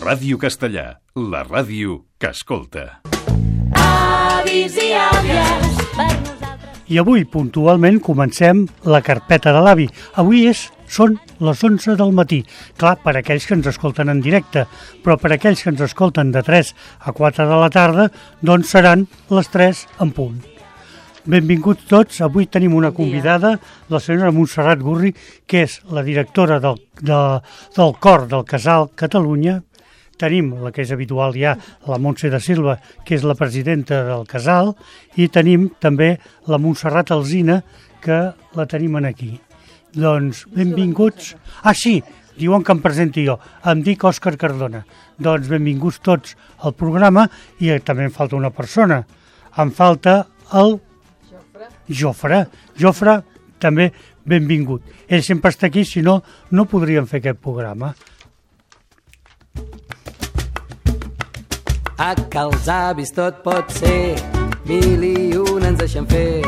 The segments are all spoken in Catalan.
Ràdio Castellà, la ràdio que escolta. Avis i àvies, per nosaltres. I avui, puntualment, comencem la carpeta de l'avi. Avui són les 11 del matí. Clar, per aquells que ens escolten en directe, però per aquells que ens escolten de 3 a 4 de la tarda, doncs seran les 3 en punt. Benvinguts tots. Avui tenim una convidada, la senyora Montserrat Gurri, que és la directora del cor del Casal Catalunya. Tenim la que és habitual ja, la Montse da Silva, que és la presidenta del Casal, i tenim també la Montserrat Alsina, que la tenim aquí. Doncs benvinguts. Ah, sí, diuen que em presenti jo. Em dic Òscar Cardona. Doncs benvinguts tots al programa, i també em falta una persona. Em falta el Jofre. Jofre, també benvingut. Ell sempre està aquí, si no, no podríem fer aquest programa. A que els avis tot pot ser, 1001 ens deixen fer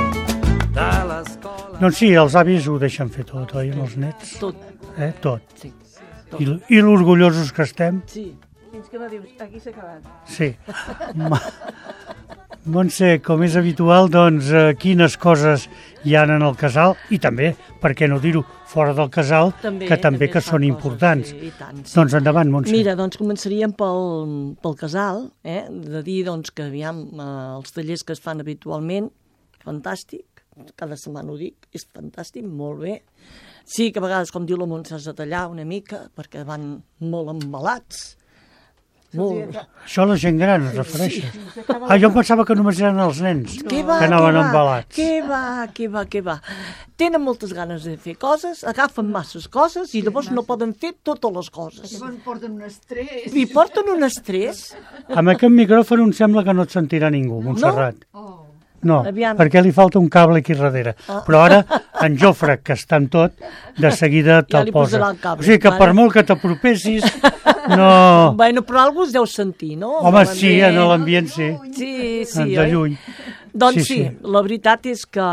de l'escola. Doncs sí, els avis ho deixen fer tot, oi, amb els nets? Tot. Tot. Sí. I l'orgullosos que estem? Sí. Fins que no dius, aquí s'ha acabat. Sí. Montse, com és habitual, doncs, quines coses hi ha en el casal, i també, per què no dir-ho, fora del casal, que també que són importants. Sí, i tant, sí. Doncs endavant, Montse. Mira, doncs començaríem pel casal, de dir doncs, que aviam, els tallers que es fan habitualment, fantàstic, cada setmana ho dic, és fantàstic, molt bé. Sí que a vegades, com diu la Montse, has de tallar una mica, perquè van molt embalats. Molt. Això a la gent gran es refereix. Ah, jo pensava que només eren els nens que anaven embalats. Què va. Tenen moltes ganes de fer coses, agafen masses coses i llavors no poden fer totes les coses. Llavors porten un estrès. I porten un estrès. Amb aquest micròfon em sembla que no et sentirà ningú, Montserrat. No, Aviam. perquè li falta un cable aquí darrere. Però ara, en Jofre, que està en tot, de seguida te'l li posa. posarà el cable, O sigui que vale. per molt que t'apropessis, no... Bueno, però algú es deu sentir, no? Home, sí, en l'ambient sí. Sí, De oi? lluny. Doncs Sí. la veritat és que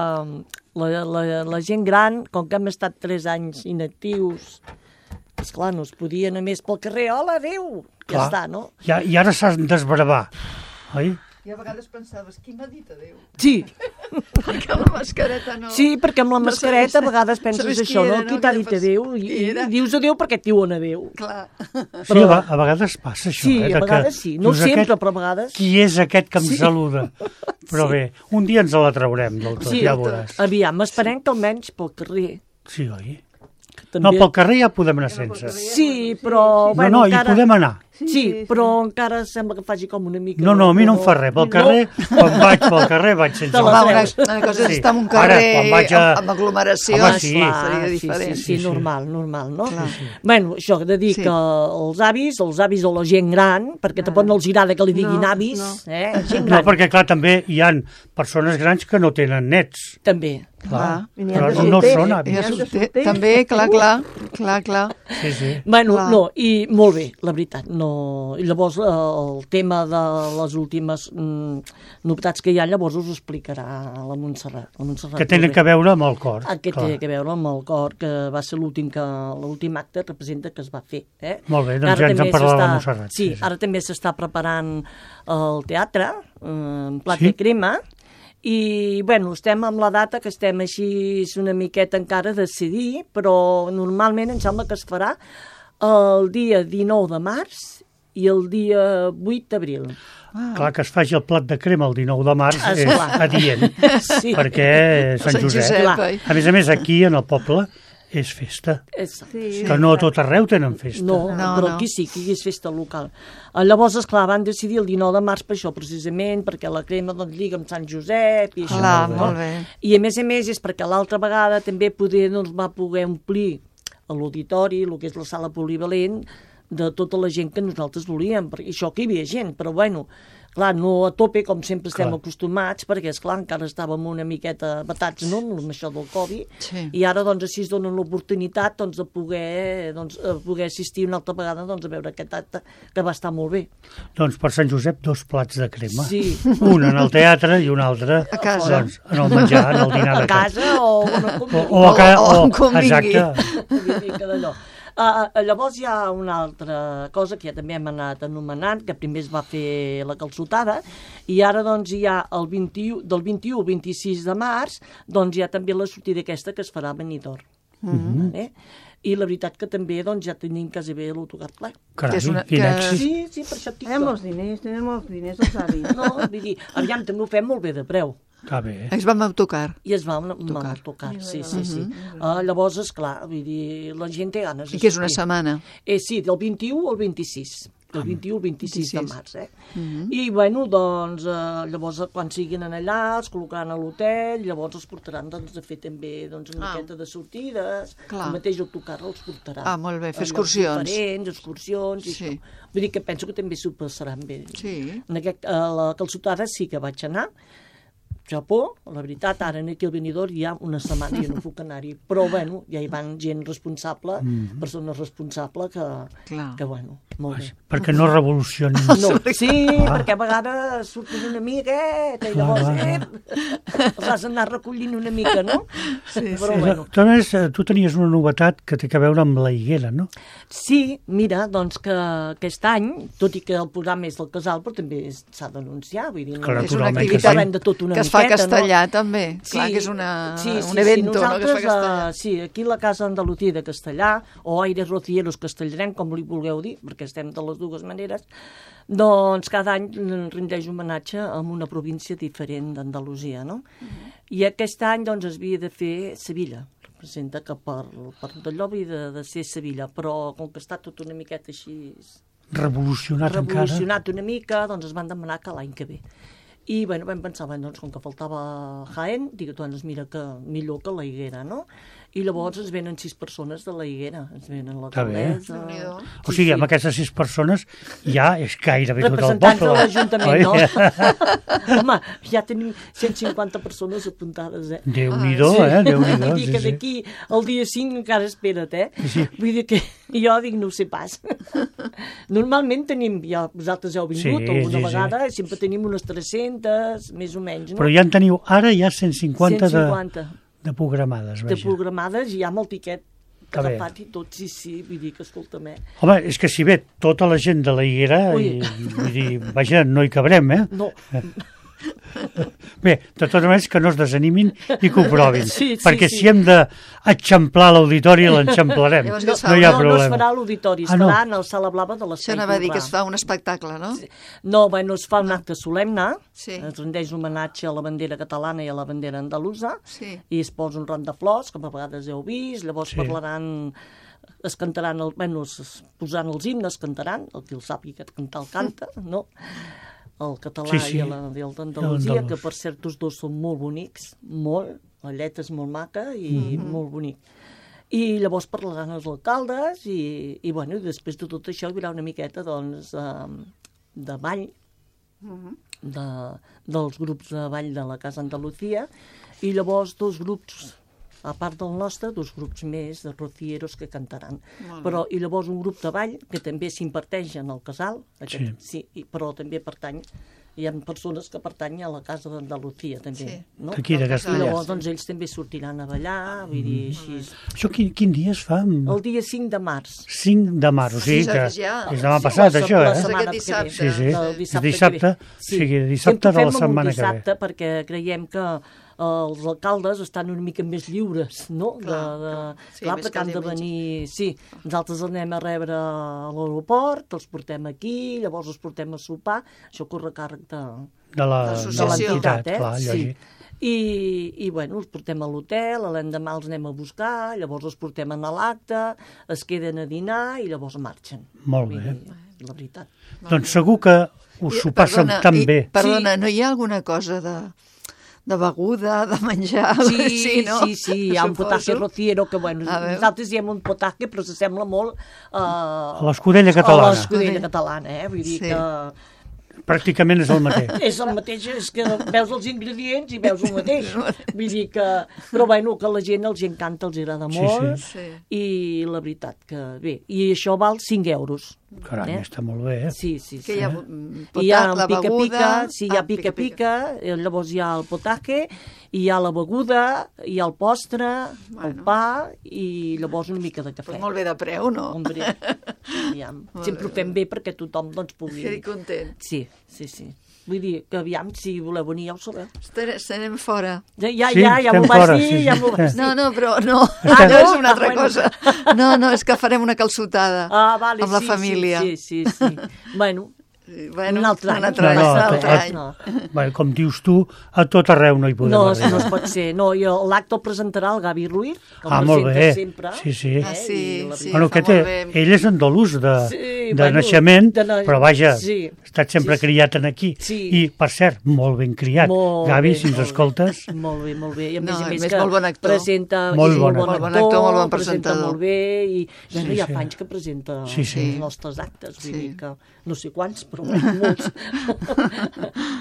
la gent gran, com que hem estat 3 anys inactius, esclar, no es podia anar més pel carrer. Hola, adéu! Ja Clar. està, no? I ara s'ha d'esbravar, oi? I a vegades pensaves, qui m'ha dit adéu? Sí, Perquè la mascareta no... sí, perquè amb la No mascareta a vegades sabes penses qui això, era, no? no? Qui t'ha Que dit fas- adéu? qui I era? dius adéu perquè et diuen adéu. Clar. Sí, a vegades passa això. Sí, de a que vegades sí. No dius, sempre, aquest, però a vegades... Qui és aquest que em saluda? Però bé, un dia ens la traurem del tot, Sí, ja veuràs. aviam, esperem que almenys pel carrer... Sí, oi? que No, també- pel carrer ja podem anar sense. Sí, però... No, hi podem anar. Sí, però encara sembla que faci com una mica... No, a mi no em fa res. Pel carrer, quan vaig pel carrer, vaig sense. Te la Home, treus. una cosa és Sí. estar en un Ara, carrer quan vaig amb aglomeració, Home, sí. seria Sí, diferent. sí, Sí. normal, no? Clar. Bueno, això, de dir Sí. que els avis o la gent gran, perquè tampoc no els agrada que li diguin avis, gent No, gran, perquè clar, també hi han persones grans que no tenen nets. també. Clar, I però no són avis. També, clar. Sí, sí. Bueno, Clar. no, i molt bé, la veritat, no... I llavors el tema de les últimes novetats que hi ha, llavors us ho explicarà la Montserrat. Que tenen que veure amb el cor. Que clar. té a veure amb el cor, que va ser l'últim acte representa que es va fer. Molt bé, doncs Ara ja ens en també parlarà la s'està- Montserrat. Sí, ara també s'està preparant el teatre, en plat Sí? de crema, i, bueno, estem amb la data que estem així una miqueta encara a decidir, però normalment em sembla que es farà el dia 19 de març i el dia 8 d'abril. Clar, que es faci el plat de crema el 19 de març és Esclar. adient, Sí. perquè Sant Josep. Clar. oi? A més, aquí, en el poble, és festa. Sí. Que no a tot arreu tenen festa. No, No, però no. aquí sí, aquí és festa local. Llavors, esclar, van decidir el 19 de març per això, precisament, perquè la crema doncs, lliga amb Sant Josep i això. Clar, no? molt bé. I a més és perquè l'altra vegada també doncs, va poder omplir a l'auditori, el que és la sala polivalent, de tota la gent que nosaltres volíem, perquè això que hi havia gent, però bueno, clar, no a tope, com sempre estem Clar. acostumats, perquè, esclar, encara estàvem una miqueta batats, no?, amb això del Covid, Sí. i ara, doncs, així es donen l'oportunitat, doncs, de poder assistir una altra vegada, doncs, a veure aquest acte, que va estar molt bé. Doncs per Sant Josep, 2 plats de crema. Sí. Un en el teatre i un altre A casa. doncs, en el menjar, en el dinar A de casa. casa o... O a casa, O com vingui. exacte. Una mica d'allò. Llavors hi ha una altra cosa que ja també hem anat anomenant, que primer es va fer la calçotada, i ara doncs hi ha del 21 al 26 de març, doncs hi ha també la sortida aquesta que es farà a Benidorm. I la veritat que també doncs, ja tenim quasi bé l'autocar ple. Carai, quin èxit. Sí, per això et dic Tenim molts diners els avis. No, vull dir, aviam, també ho fem molt bé de preu. Està bé. Es va amb autocar. I es va amb autocar, sí. Llavors, esclar, vull dir, la gent té ganes. I que és una setmana. Sí, del 21 al 26. Del 21 al 26 de març, I, bueno, doncs, llavors, quan siguin allà, els col·locaran a l'hotel, llavors els portaran, doncs, a fer també, doncs, una miqueta de sortides, el mateix autocar els portarà. Molt bé, fer excursions. Diferents, excursions, i això. Vull dir que penso que també s'ho passaran bé. Sí. A la calçotada sí que vaig anar, Japó, la veritat, ara aquí al Benidorm hi ha una setmana i no puc anar-hi, però, bueno, ja hi van gent responsable, persones responsables que, bueno, molt bé. Perquè no revolucionin. No, sí, perquè a vegades surten una miqueta i llavors els has d'anar recollint una mica, no? Sí, però, bueno. Tu tenies una novetat que té a veure amb la higuera, no? Sí, mira, doncs que aquest any, tot i que el programa és del casal, però també s'ha d'anunciar, vull dir, Clar, és una naturalment activitat que es fa a Castellà, també. Clar, que és un evento, no?, que es fa a Castellà. Sí, aquí la Casa Andalucía de Castellà, o Aires Rocieros Castellarem, com li vulgueu dir, perquè estem de les dues maneres, doncs cada any rendeix homenatge a una província diferent d'Andalusia, no? I aquest any, doncs, es havia de fer Sevilla. Representa que per d'allò havia de ser Sevilla, però com que està tot una miqueta així... Revolucionat una mica, doncs es van demanar que l'any que ve. I, bueno, vam pensar, doncs, com que faltava Jaén, dic, doncs, mira que millor que la Higuera, no? I llavors ens venen 6 persones de la Higuera, ens venen l'alcaldessa... O sigui, amb aquestes 6 persones ja és gairebé tot el poble. Representants de l'Ajuntament, no? Home, ja tenim 150 persones apuntades, Déu-n'hi-do, Déu-n'hi-do. Vull dir que d'aquí al dia 5 encara espera't, Vull dir que jo dic, no ho sé pas. Normalment tenim, ja vosaltres heu vingut alguna vegada, sempre tenim unes 300, més o menys, no? Però ja en teniu, ara ja 150 de programades, vaja. De programades, i ja amb el tiquet agafat i tot, sí, vull dir que, escolta'm, Home, és que si ve tota la gent de la Higuera, vull dir, vaja, no hi cabrem, No. Bé, de totes maneres que no es desanimin i que ho provin, perquè sí. Si hem d'eixamplar l'auditori, l'enxamplarem, no hi ha problema. No es farà a l'auditori, es farà en el Sala Blava de l'Espai Això anava a dir que es fa un espectacle, no? No, bueno, es fa un acte solemne, es rendeix homenatge a la bandera catalana i a la bandera andalusa, i es posa un ram de flors, com a vegades heu vist, llavors parlaran... es cantaran, es posaran els himnes, cantaran, el qui el sàpiga cantar el canta, no? El català i el d'Andalusia, que per cert els dos són molt bonics, molt, la lletra és molt maca i molt bonic. I llavors parlaran els alcaldes i bueno, i després de tot això hi haurà una miqueta, doncs, de ball, dels grups de ball de la Casa Andalucía, i llavors 2 grups, a part del nostre, 2 grups més de rocieros que cantaran. Però, i llavors un grup de ball que també s'imparteix en el casal, però també pertany, hi ha persones que pertanyen a la Casa d'Andalucía, també. Aquí de Castellà. I llavors doncs, ells també sortiran a ballar, vull dir, així... Això quin dia es fa? El dia 5 de març. 5 de març, o sigui que és demà passat, això, La setmana que ve. Sí, dissabte, o sigui, dissabte de la setmana que ve. Dissabte, perquè creiem que els alcaldes estan una mica més lliures, no? Clar, perquè han de venir... Sí, nosaltres els anem a rebre a l'aeroport, els portem aquí, llavors els portem a sopar, això corre a càrrec de l'entitat, clar, lògic. I bueno, els portem a l'hotel, l'endemà els anem a buscar, llavors els portem a l'acte, es queden a dinar i llavors marxen. Molt bé. La veritat. Doncs segur que us ho passen tan bé. Perdona, no hi ha alguna cosa de beguda, de menjar... Sí, hi ha un potaje rociero que, bueno, nosaltres diem un potaje, però s'assembla molt a l'escudella catalana. A l'escudella catalana, vull dir que Pràcticament és el mateix. És el mateix, és que veus els ingredients i veus el mateix. Vull dir que... Però bueno, que a la gent els encanta, els agrada molt, Sí. i la veritat que bé. I això val 5 euros. Carai, està molt bé, Sí. Que hi ha I hi ha la pica-pica, beguda... sí, hi ha pica-pica, llavors hi ha el potaje, hi ha la beguda, hi ha el postre, el pa, i llavors una mica de cafè. Però molt bé de preu, no? Hombre, aviam. Sempre ho fem bé perquè tothom doncs, pugui... Quedi content. Sí. Vull dir que aviam, si voleu venir ja ho sabeu. Estarem fora. Sí, Ja m'ho estem vas fora, dir, sí, ja sí. m'ho vas dir. No, però no. Estem- No és una altra bueno. cosa. No, és que farem una calçotada Vale, amb la família. Sí. Bueno, Bueno, un altre any. un altre any. No, un altre any. No. Bé, com dius tu, a tot arreu no hi podem No arribar. es pot ser. No, i l'acte el presentarà el Gavi Ruiz, que el Molt presenta bé. sempre. Sí. Ah, sí, I la sí. Bueno, fa aquest, molt bé. ell és andalús de bueno, naixement, però vaja, sí. ha estat sempre criat en aquí. Sí. I, per cert, molt ben criat. Molt Gavi, bé, si ens molt bé. escoltes... Molt bé. I a No, més a a més més, que molt bon actor. presenta... Molt és bon actor. Molt bon actor, molt bon presenta presentador. molt bé, i bueno, Sí, ja sí. fa anys que presenta Sí. els nostres actes, vull Sí. dir que no sé quants, però molts.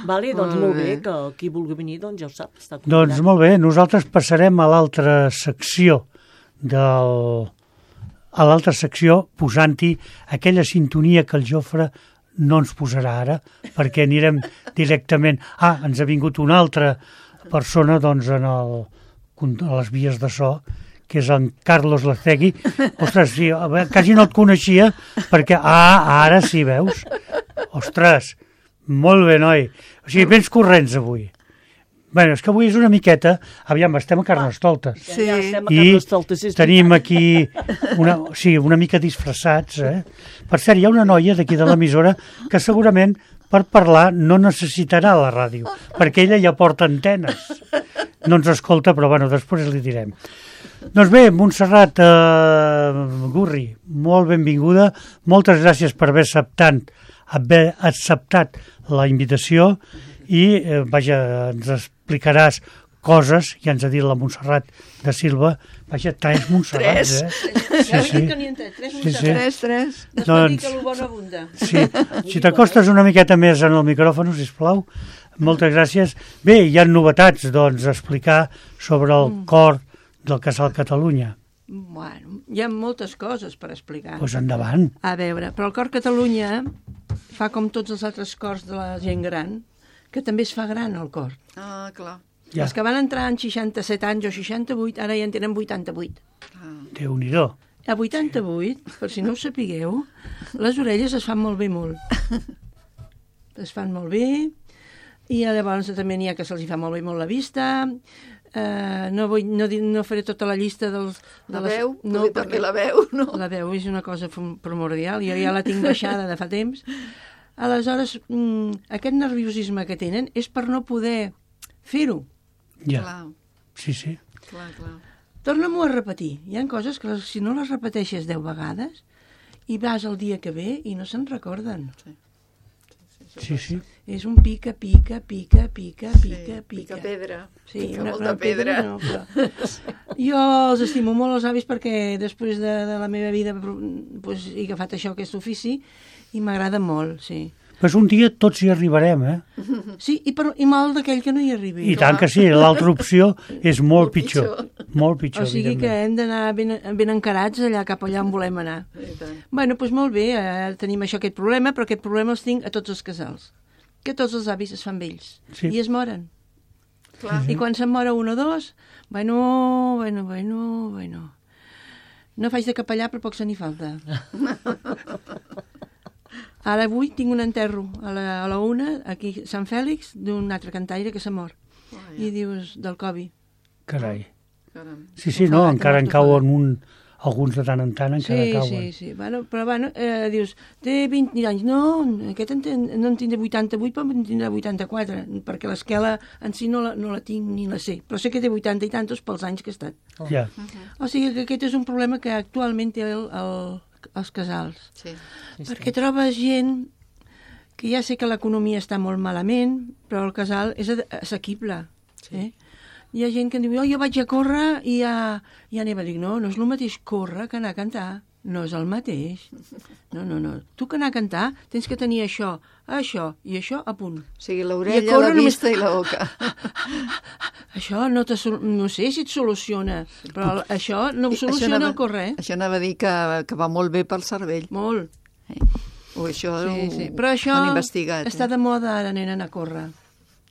Vale, doncs molt bé, que qui vulgui venir, doncs ja ho sap, està convidat. Doncs molt bé, nosaltres passarem a l'altra secció a l'altra secció posant-hi aquella sintonia que el Jofre no ens posarà ara, perquè anirem directament... ens ha vingut una altra persona doncs, a les vies de so, que és en Carlos Lacegui. Ostres, sí, quasi no et coneixia, perquè... ara sí, veus? Ostres, molt bé, noi. O sigui, vens corrents avui. Bé, és que avui és una miqueta... Aviam, estem a Carnestoltes. Sí. Ja estem a I Carnestoltes, és tenim veritat. aquí una mica disfressats. Per cert, hi ha una noia d'aquí de l'emissora que segurament per parlar no necessitarà la ràdio, perquè ella ja porta antenes. No ens escolta, però bueno, després li direm. Doncs bé, Montserrat Gurri, molt benvinguda. Moltes gràcies per haver acceptat la invitació i, vaja, ens explicaràs coses, ja ens ha dit la Montserrat de Silva, vaja, tres Montserrats, Sí. Tres. Doncs, sí, si t'acostes una miqueta més en el micròfon, sisplau, moltes gràcies. Bé, hi ha novetats, doncs, a explicar sobre el cor del Casal Catalunya. Bueno, hi ha moltes coses per explicar. Doncs endavant. A veure, però el Cor Catalunya fa com tots els altres cors de la gent gran, que també es fa gran el cor. Ah, clar. Ja. Els que van entrar en 67 anys o 68, ara ja en tenen 88. Déu-n'hi-do. A 88, per si no ho sapigueu, les orelles es fan molt bé molt. Es fan molt bé, i llavors també n'hi ha que se'ls fa molt bé molt la vista. No faré tota la llista dels... La veu? No, També la veu, no? La veu és una cosa primordial, jo ja la tinc baixada de fa temps. Aleshores, aquest nerviosisme que tenen és per no poder fer-ho. Ja, Clar, sí. clar. Torna-m'ho a repetir. Hi ha coses que si no les repeteixes 10 vegades i vas el dia que ve i no se'n recorden. Sí. És un pica. Pica pedra. Sí, Pica molta pedra. No, però... Jo els estimo molt els avis perquè després de la meva vida pues, he agafat això, aquest ofici, i m'agrada molt, sí. Pues un dia tots hi arribarem, Sí, i mal d'aquell que no hi arribi. I tant que sí, l'altra opció és molt pitjor. Molt pitjor, O sigui que hem d'anar ben encarats allà cap allà on volem anar. I tant. Bueno, doncs molt bé, tenim aquest problema, però aquest problema els tinc a tots els casals. Que tots els avis es fan vells. Sí. I es moren. Clar. I quan se'n mora un o dos, bueno. No faig de capellà, però poc se n'hi falta. Ara avui tinc un enterro a la una, aquí a Sant Fèlix, d'un altre cantaire que s'ha mort. I dius, del Covid. Carai. Caram. Sí, no, encara en cauen alguns de tant en tant, encara cauen. Sí. Bueno, però dius, té 20 anys. No, aquest no en tindré 88, però en tindrà 84, perquè l'esquela en si no la tinc ni la sé. Però sé que té 80 i tantos pels anys que ha estat. Ja. O sigui que aquest és un problema que actualment té els casals. Sí. Perquè trobes gent que ja sé que l'economia està molt malament, però el casal és assequible. Sí. Hi ha gent que em diu, jo vaig a córrer i ja anava. Dic, no és el mateix córrer que anar a cantar. No és el mateix. No. Tu que anar a cantar tens que tenir això i això a punt. O sigui, l'orella, la vista i la boca. Això no sé si et soluciona, però això no ho soluciona el córrer. Això anava a dir que va molt bé pel cervell. Molt. O això Sí. Però això han investigat. està de moda ara, nena, anar a córrer.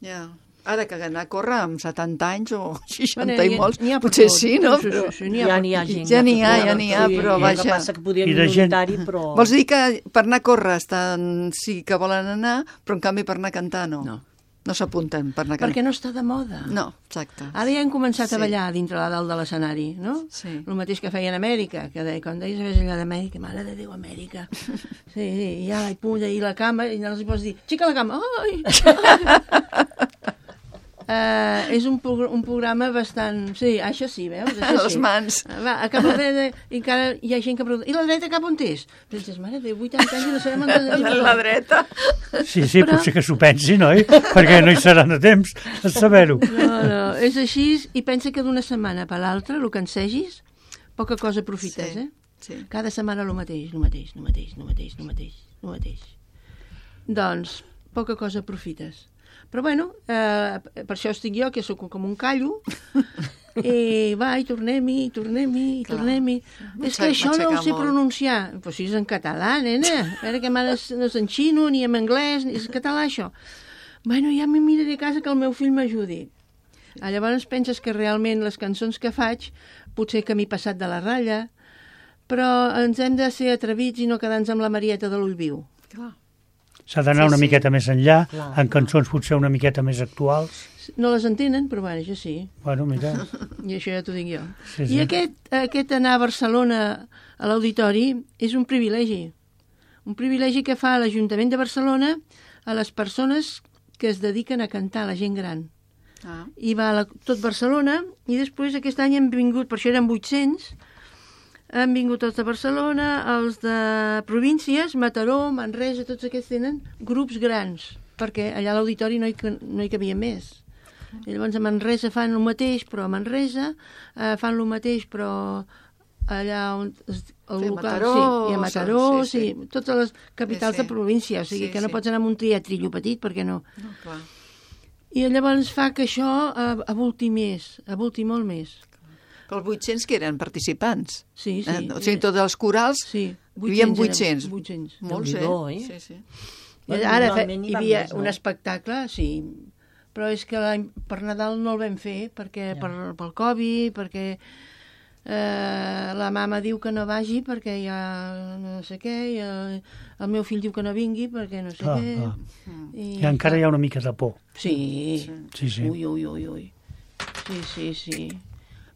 Ja. Ara que anar a córrer amb 70 anys o 60 Bueno, i molts, n'hi ha per potser tot. sí, no? Sí, Però... Ja n'hi ha gent. Ja n'hi ha, però El vaja. que passa que podria I ser de gent- minoritari, però... Vols dir que per anar a córrer sí que volen anar, però en canvi per anar a cantar no? No s'apunten per anar a cantar. Perquè no està de moda. No, exacte. Ara ja hem començat Sí. a ballar dintre la dalt de l'escenari, no? Sí. El mateix que feien a Amèrica, que quan deies allà d'Amèrica, mare de Déu, Amèrica. Sí, ja, i puja, i la cama, i no els hi pots dir, xica la cama, ai! És un programa bastant... Sí, això sí, veus? Això Les sí. mans. Va, a cap a dreta, i encara hi ha gent que pregunta, i la dreta cap on és? Penses, mare, té 80 anys i no sabem on és. La dreta. Sí, potser que s'ho pensin, oi? Perquè no hi seran a temps de saber-ho. No, és així, i pensa que d'una setmana per l'altra, el que ensegis, poca cosa aprofites, Sí, eh? sí. Cada setmana el mateix. Doncs, poca cosa aprofites. Però bueno, per això estic jo, que sóc com un callo, i va, i tornem-hi. És que això no ho sé pronunciar. Però si és en català, nena. A veure que mare no és en xino, ni en anglès, ni és en català, això. Bueno, ja m'hi miraré a casa que el meu fill m'ajudi. Llavors penses que realment les cançons que faig, potser que m'he passat de la ratlla, però ens hem de ser atrevits i no quedar-nos amb la Marieta de l'ull viu. Clar. S'ha d'anar una miqueta més enllà, en cançons potser una miqueta més actuals. No les entenen, però bueno, això sí. Bueno, mira, I això ja t'ho dic jo. Sí. I aquest anar a Barcelona a l'auditori és un privilegi. Un privilegi que fa l'Ajuntament de Barcelona a les persones que es dediquen a cantar, la gent gran. I va a tot Barcelona, i després aquest any hem vingut, per això eren 800, han vingut tots de Barcelona, els de províncies, Mataró, Manresa, tots aquests tenen grups grans, perquè allà a l'auditori no hi cabia més. I llavors a Manresa fan el mateix, però a Manresa fan el mateix, però allà on... Mataró, i a Mataró, sí. totes les capitals de província, o sigui que no pots anar amb un teatrillo petit, perquè no. No, clar. I llavors fa que això avulti molt més. Però els 800 que eren participants. Sí. O sigui, tots els corals, Sí, hi havia 800. 800. Molts, Déu-n'hi-do, Sí. I ara Normalment hi van havia més, no? un espectacle, sí, però és que per Nadal no el vam fer, perquè pel Covid, perquè la mama diu que no vagi perquè hi ha no sé què, i el meu fill diu que no vingui perquè no sé què. I encara hi ha una mica de por. Sí. Sí. Ui. Sí.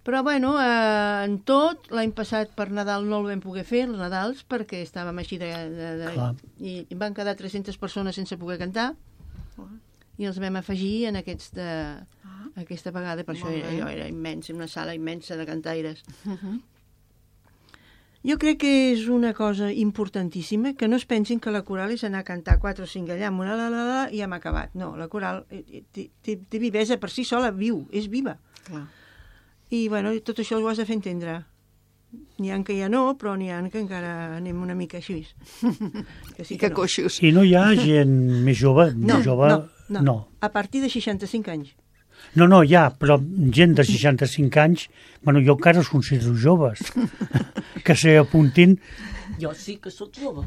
Però, bueno, en tot, l'any passat per Nadal no el vam poder fer, els Nadals, perquè estàvem així i van quedar 300 persones sense poder cantar, i els vam afegir en aquesta vegada, per això era immens, una sala immensa de cantaires. Jo crec que és una cosa importantíssima, que no es pensin que la coral és anar a cantar 4 o 5 allà, amb una i hem acabat. No, la coral té vivesa per si sola, és viva. Clar. I, bueno, tot això ho has de fer entendre. N'hi ha que ja no, però n'hi ha que encara anem una mica així. Que sí I que coixos. I no hi ha gent més jove? No. A partir de 65 anys. No, ja, però gent de 65 anys, bueno, jo encara els considero joves, que s'apuntin. Jo sí que sóc jove.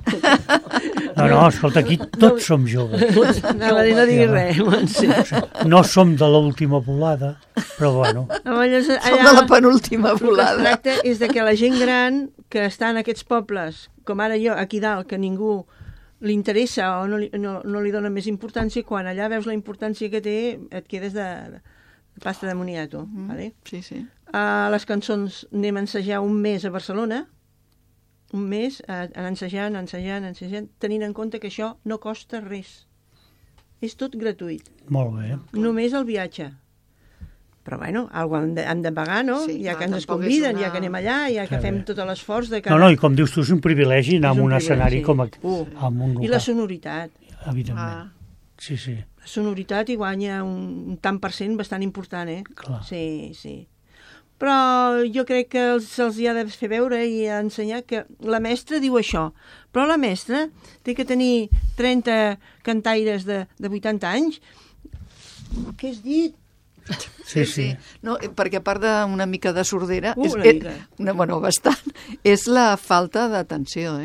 No, escolta, aquí tots som joves. Anava a dir, no diguis res, Montse. No som de l'última volada, però bueno. Som de la penúltima volada. El que es tracta és de que la gent gran que està en aquests pobles, com ara jo, aquí dalt, que ningú li interessa o no li dona més importància, quan allà veus la importància que té, et quedes de pasta de moniato. Vale? Sí. Les cançons anem a ensejar un mes a Barcelona, un mes ensejant, tenint en compte que això no costa res. És tot gratuït. Molt bé. Només el viatge. Però, bueno, alguna hem de pagar, no? Sí, ja clar, que ens tampoc conviden, és ja que anem allà, ja que fem tot l'esforç de No, i com dius tu, és un privilegi anar a un escenari com amb un local. I la sonoritat. Evidentment. Sí. La sonoritat hi guanya un tant per cent bastant important, eh? Clar. Sí. però jo crec que se'ls hi ha de fer veure i ensenyar que la mestra diu això, però la mestra té que tenir 30 cantaires de 80 anys. Què has dit? Sí. No, perquè a part d'una mica de sordera, Una mica. Bueno, bastant, és la falta d'atenció,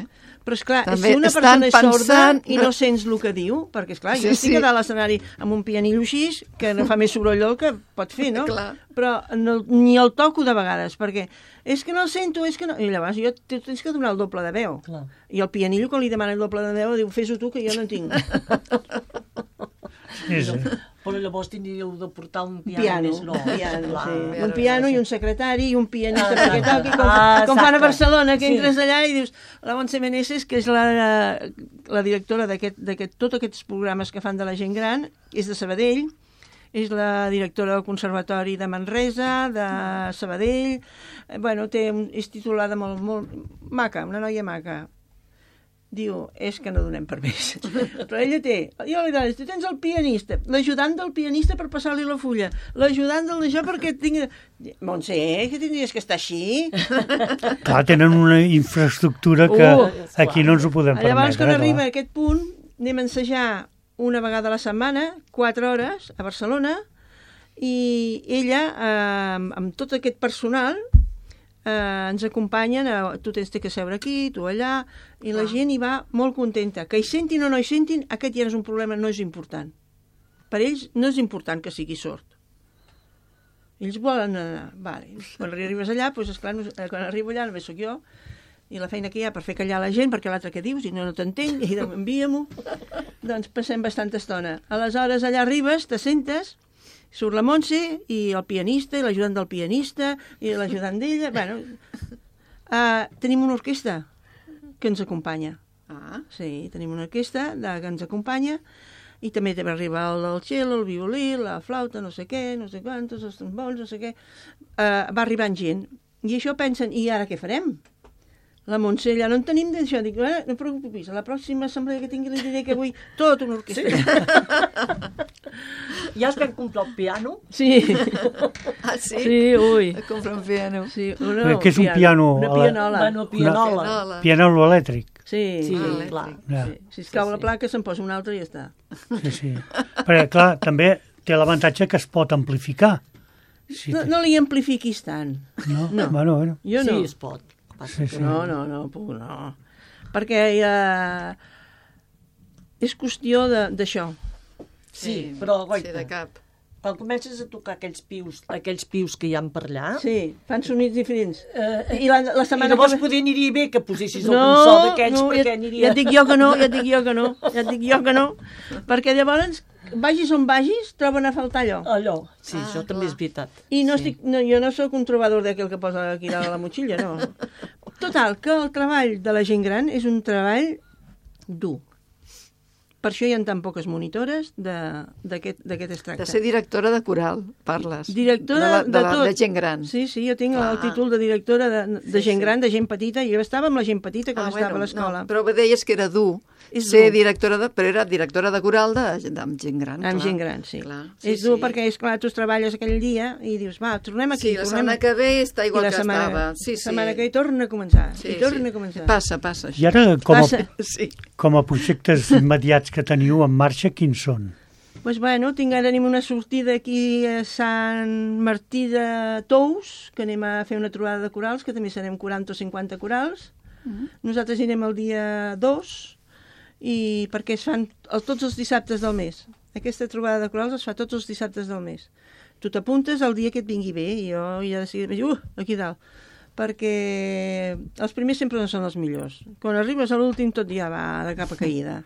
Però, esclar, També si una estan persona és sorda pensant- i no sents el que diu, perquè, esclar, jo Sí, estic sí. a dalt l'escenari amb un pianillo així, que no fa més sorolló que pot fer, no? Clar. Però no, ni el toco de vegades, perquè és que no el sento, és que no... I llavors jo tens que donar el doble de veu. Clar. I el pianillo, quan li demana el doble de veu, diu, fes-ho tu, que jo no en tinc. Sí. Però llavors tindríeu de portar un piano, més nou. piano, Clar. sí. Un piano i un secretari i un pianista Ah, perquè toqui, com exacte. fan a Barcelona, que Sí. entres allà i dius, la Montse Meneses, que és la directora d'aquest tots aquests programes que fan de la gent gran, és de Sabadell, és la directora del Conservatori de Manresa, de Sabadell, bueno, és titulada molt maca, una noia maca. Diu, és que no donem permís. Però ella té, jo li dones, tu tens el pianista, l'ajudant del pianista per passar-li la fulla, l'ajudant del d'això perquè tingui... Montse, que tindries que estar així? Clar, tenen una infraestructura que aquí no ens ho podem permetre. Llavors, quan arriba clar. a aquest punt, anem a ensejar una vegada a la setmana, 4 hores, a Barcelona, i ella, amb tot aquest personal, ens acompanyen, tu tens que seure aquí, tu allà, i la gent hi va molt contenta. Que hi sentin o no hi sentin, aquest ja no és un problema, no és important. Per ells no és important que sigui sord. Ells volen anar. Vale. Quan arribes allà, doncs, esclar, quan arribo allà només sóc jo, i la feina que hi ha per fer callar la gent, perquè l'altre que dius, i no t'entenc, i envia-m'ho, doncs passem bastanta estona. Aleshores, allà arribes, te sentes, surt la Montse i el pianista i l'ajudant del pianista i l'ajudant d'ella. Bueno, tenim una orquestra que ens acompanya. Sí, tenim una orquestra que ens acompanya i també va arribar el cello, el violí, la flauta, no sé què, no sé quantos, els trombons, no sé què. Va arribant gent. I això pensen, i ara què farem? La Montse, allà no en tenim d'això. Dic, no et preocupis, a la pròxima assemblea que tingui li diré que vull tota una orquestra. Ja es vam comprar el piano? Sí. Ah, sí? Sí, ui. A comprar un piano. Sí, Què és un piano? Una pianola. Bueno, pianola. Pianola. Piano elèctric. Sí, Sí, sí. clar. Ja. Sí. Si es cau la placa, se'n posa una altra i ja està. Sí. Perquè, clar, també té l'avantatge que es pot amplificar. Sí, No li amplifiquis tant. no? no. Bueno. Jo no. Sí, es pot. Sí, sí. No, puc, no. Perquè és qüestió d'això. Sí, però, Sí, de goita, cap. quan comences a tocar aquells pius que hi ha per allà, Sí, fan sonits diferents. I la i setmana llavors que ve... poder aniria bé que posessis algun so d'aquells, perquè aniria... ja et dic jo que no, perquè llavors, vagis on vagis, troben a faltar allò. Allò, sí, això també és veritat. I no Sí. jo no sóc un trobador d'aquell que posa aquí dalt a la motxilla, no. Total, que el treball de la gent gran és un treball dur. Per això hi ha tan poques monitores d'aquest es tracta. De ser directora de coral, parles. Directora de tot. De gent gran. Sí, jo tinc Clar. el títol de directora de gent gran, de gent petita, i jo estava amb la gent petita quan estava a l'escola. No, però deies que era dur És ser dur. directora però era directora de coral amb gent gran. Amb clar. gent gran, sí. Clar, És dur perquè, esclar, tu treballes aquell dia i dius, va, tornem aquí. Sí, la setmana que ve està igual I la que setmana, estava. Sí, La setmana que ve torna a començar. Sí, I torna sí. a començar. Passa, això. I ara, Passa. Sí. com a projectes immediats que teniu en marxa, quins són? Doncs bueno, tenim una sortida aquí a Sant Martí de Tous, que anem a fer una trobada de corals, que també serem 40 o 50 corals. Nosaltres anirem el dia 2, i perquè es fan tots els dissabtes del mes. Aquesta trobada de corals es fa tots els dissabtes del mes. Tu t'apuntes el dia que et vingui bé, i jo ja decidiré, aquí dalt, perquè els primers sempre no són els millors. Quan arribes a l'últim tot ja va de capa caïda.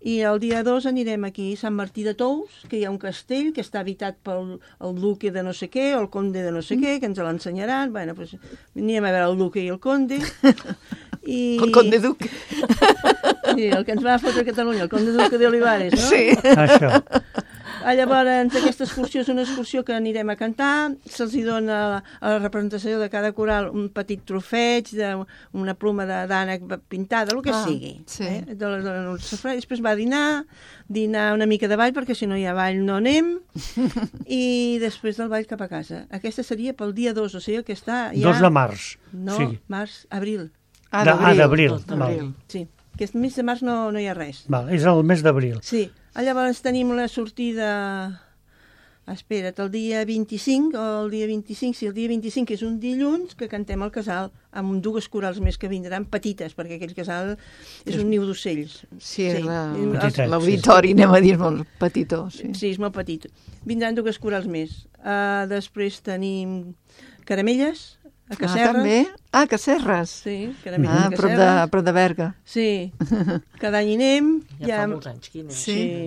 I el dia 2 anirem aquí a Sant Martí de Tous, que hi ha un castell que està habitat pel el duque de no sé què, o el conde de no sé què, que ens l'ensenyaran. Bueno, doncs anirem a veure el duque i el conde. I... El conde duc. Sí, el que ens va fotre a Catalunya, el conde duque d'Olivares, no? Sí. Això. Llavors, aquesta excursió és una excursió que anirem a cantar, se'ls dona a la representació de cada coral un petit trofeig, una pluma d'ànec pintada, el que sigui. Sí. Després va dinar una mica de ball, perquè si no hi ha ball no anem, i després del ball cap a casa. Aquesta seria pel dia 2, o sigui que està ja... 2 de març. No, sí. març, abril. D'abril. Sí, aquest mes de març no hi ha res. Val, és el mes d'abril. Sí, llavors tenim la sortida... Espera't, el dia 25 o el dia 25, sí, el dia 25 és un dilluns que cantem al casal amb 2 corals més que vindran, petites, perquè aquell casal és un niu d'ocells. Sí, Petitet, l'auditori, anem a dir, molt petitó. Sí, és molt petit. Vindran 2 corals més. Després tenim caramelles, a Casserres. També? Casserres. Sí, caramelles a Casserres. Prop de Berga. Sí, cada any hi anem. Ja fa molts anys que hi anem.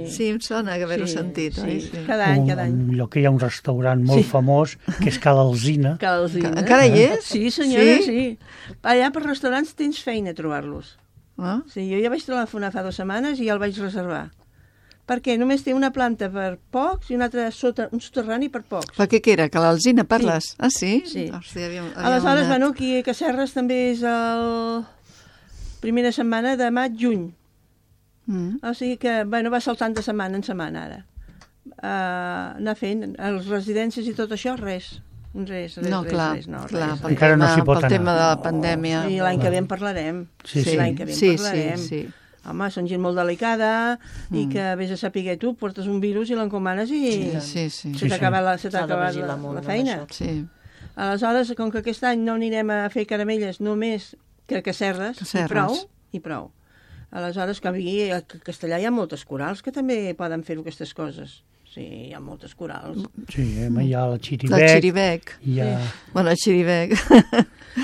Sí, em sona que haver-ho sentit. Sí, Sí. cada any. Un lloc que hi ha un restaurant molt famós, que és Cal Alzina. Cal Alzina. Encara hi és? Sí, senyora, sí. Allà per restaurants tens feina a trobar-los. Sí, jo ja vaig telefonar fa 2 setmanes i ja el vaig reservar. Perquè només té una planta per pocs i una altra un soterrani per pocs. Per què era? Que l'Alzina parles? Sí. Ah, sí? Sí. Aleshores, bueno, aquí a Casserres també és la primera setmana de maig-juny. O sigui que, bueno, va saltant de setmana en setmana ara. Anar fent, les residències i tot això, res. Res. Encara no s'hi pot anar. Pel tema de la pandèmia. I l'any que ve en parlarem. Sí. L'any que ve en parlarem. Sí. Home, són gent molt delicada i que vés a saber tu, portes un virus i l'encomanes i se t'ha acabat la feina. Sí. Aleshores, com que aquest any no anirem a fer caramelles només que a Casserres, i prou. Aleshores, que a Castellà hi ha moltes corals que també poden fer aquestes coses. Sí, hi ha moltes corals. Sí, hi ha la Xirivec. La Xirivec. Bueno, la Xirivec.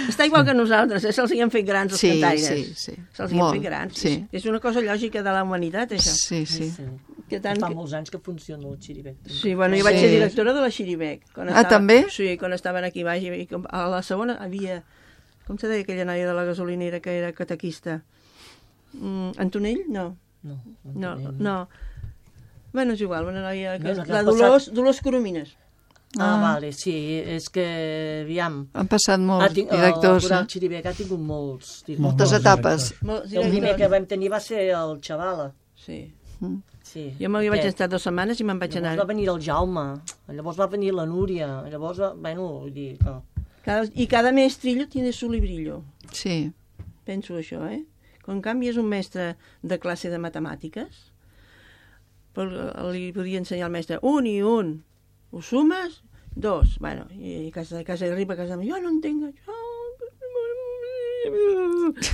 Està igual que nosaltres, se'ls hi han fet grans els cantaires. Sí. Se'ls hi han fet grans. És una cosa lògica de la humanitat, això. Sí. Fa molts anys que funciona el Xirivec. Sí, bueno, jo vaig ser directora de la Xirivec. També? Sí, quan estaven aquí baix. A la segona havia... Com se deia aquella noia de la gasolinera que era catequista? Antonell? No. Bueno, és igual, una noia... La Dolors Coromines. Vale, sí, és que, aviam... Han passat molts directors. El Xirivec ha tingut moltes etapes. El primer que vam tenir va ser el Xavala. Sí. Jo m'hi vaig estar 2 setmanes i me'n vaig anar. Llavors va venir el Jaume, llavors va venir la Núria, llavors, bueno, vull dir... I cada mestrillo tiene su librillo. Sí. Penso això, En canvi és un mestre de classe de matemàtiques, li podia ensenyar al mestre 1 i 1, ho sumes, 2, bueno, i casa arriba a casa meva, jo no entenc això,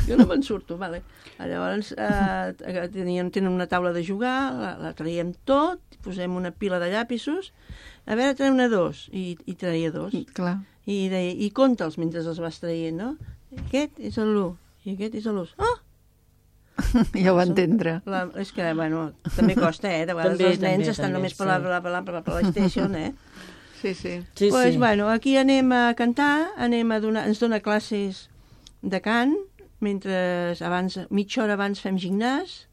jo no me'n surto, vale. Llavors tenen una taula de jugar, la traiem tot, posem una pila de llapisos, a veure, traiem una 2, i traia 2. Clar. I compta'ls mentre els vas traient, no? Aquest és l'1, i aquest és l'1. Ja ho va entendre. És que, bueno, també costa, de vegades els nens estan només per la PlayStation, Sí. Doncs, bueno, aquí anem a cantar, ens dona classes de cant, mentre mitja hora abans fem gimnàs,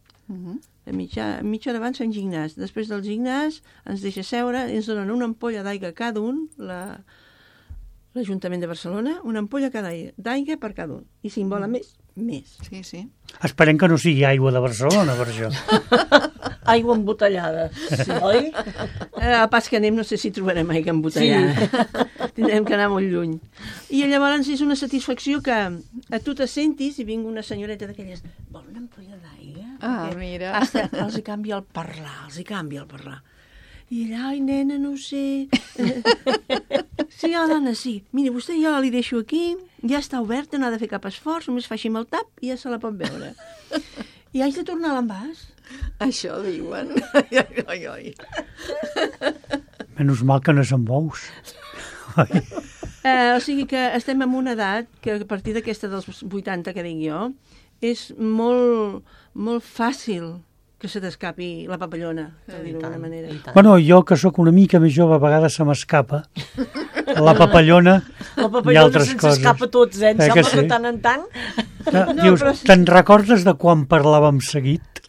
mitja hora abans fem gimnàs. Després del gimnàs ens deixa seure i ens donen una ampolla d'aigua cada un, l'Ajuntament de Barcelona, una ampolla d'aigua per cada un. I si en volen més. Sí. Esperem que no sigui aigua de Barcelona, per això. Aigua embotellada, oi? Pas que anem, no sé si trobarem aigua embotellada. Tindrem que anar molt lluny. I llavors és una satisfacció que a tu te sentis i vinga una senyoreta d'aquelles, vol una ampolla d'aigua? Mira. Els hi canvia el parlar, I ella, ai, nena, no ho sé. Sí, dona, sí. Miri, vostè jo li deixo aquí, ja està oberta, no ha de fer cap esforç, només fa així amb el tap i ja se la pot veure. I haig de tornar a l'envàs? Això diuen. Menys mal que no és amb ous. O sigui que estem en una edat que a partir d'aquesta dels 80 que dic jo, és molt, molt fàcil que se t'escapi la papallona, per dir-ho d'alguna manera. Bueno, jo, que sóc una mica més jove, a vegades se m'escapa la papallona i altres coses. S'escapa tots, em sembla que tant en tant. Dius, te'n recordes de quan parlàvem seguit?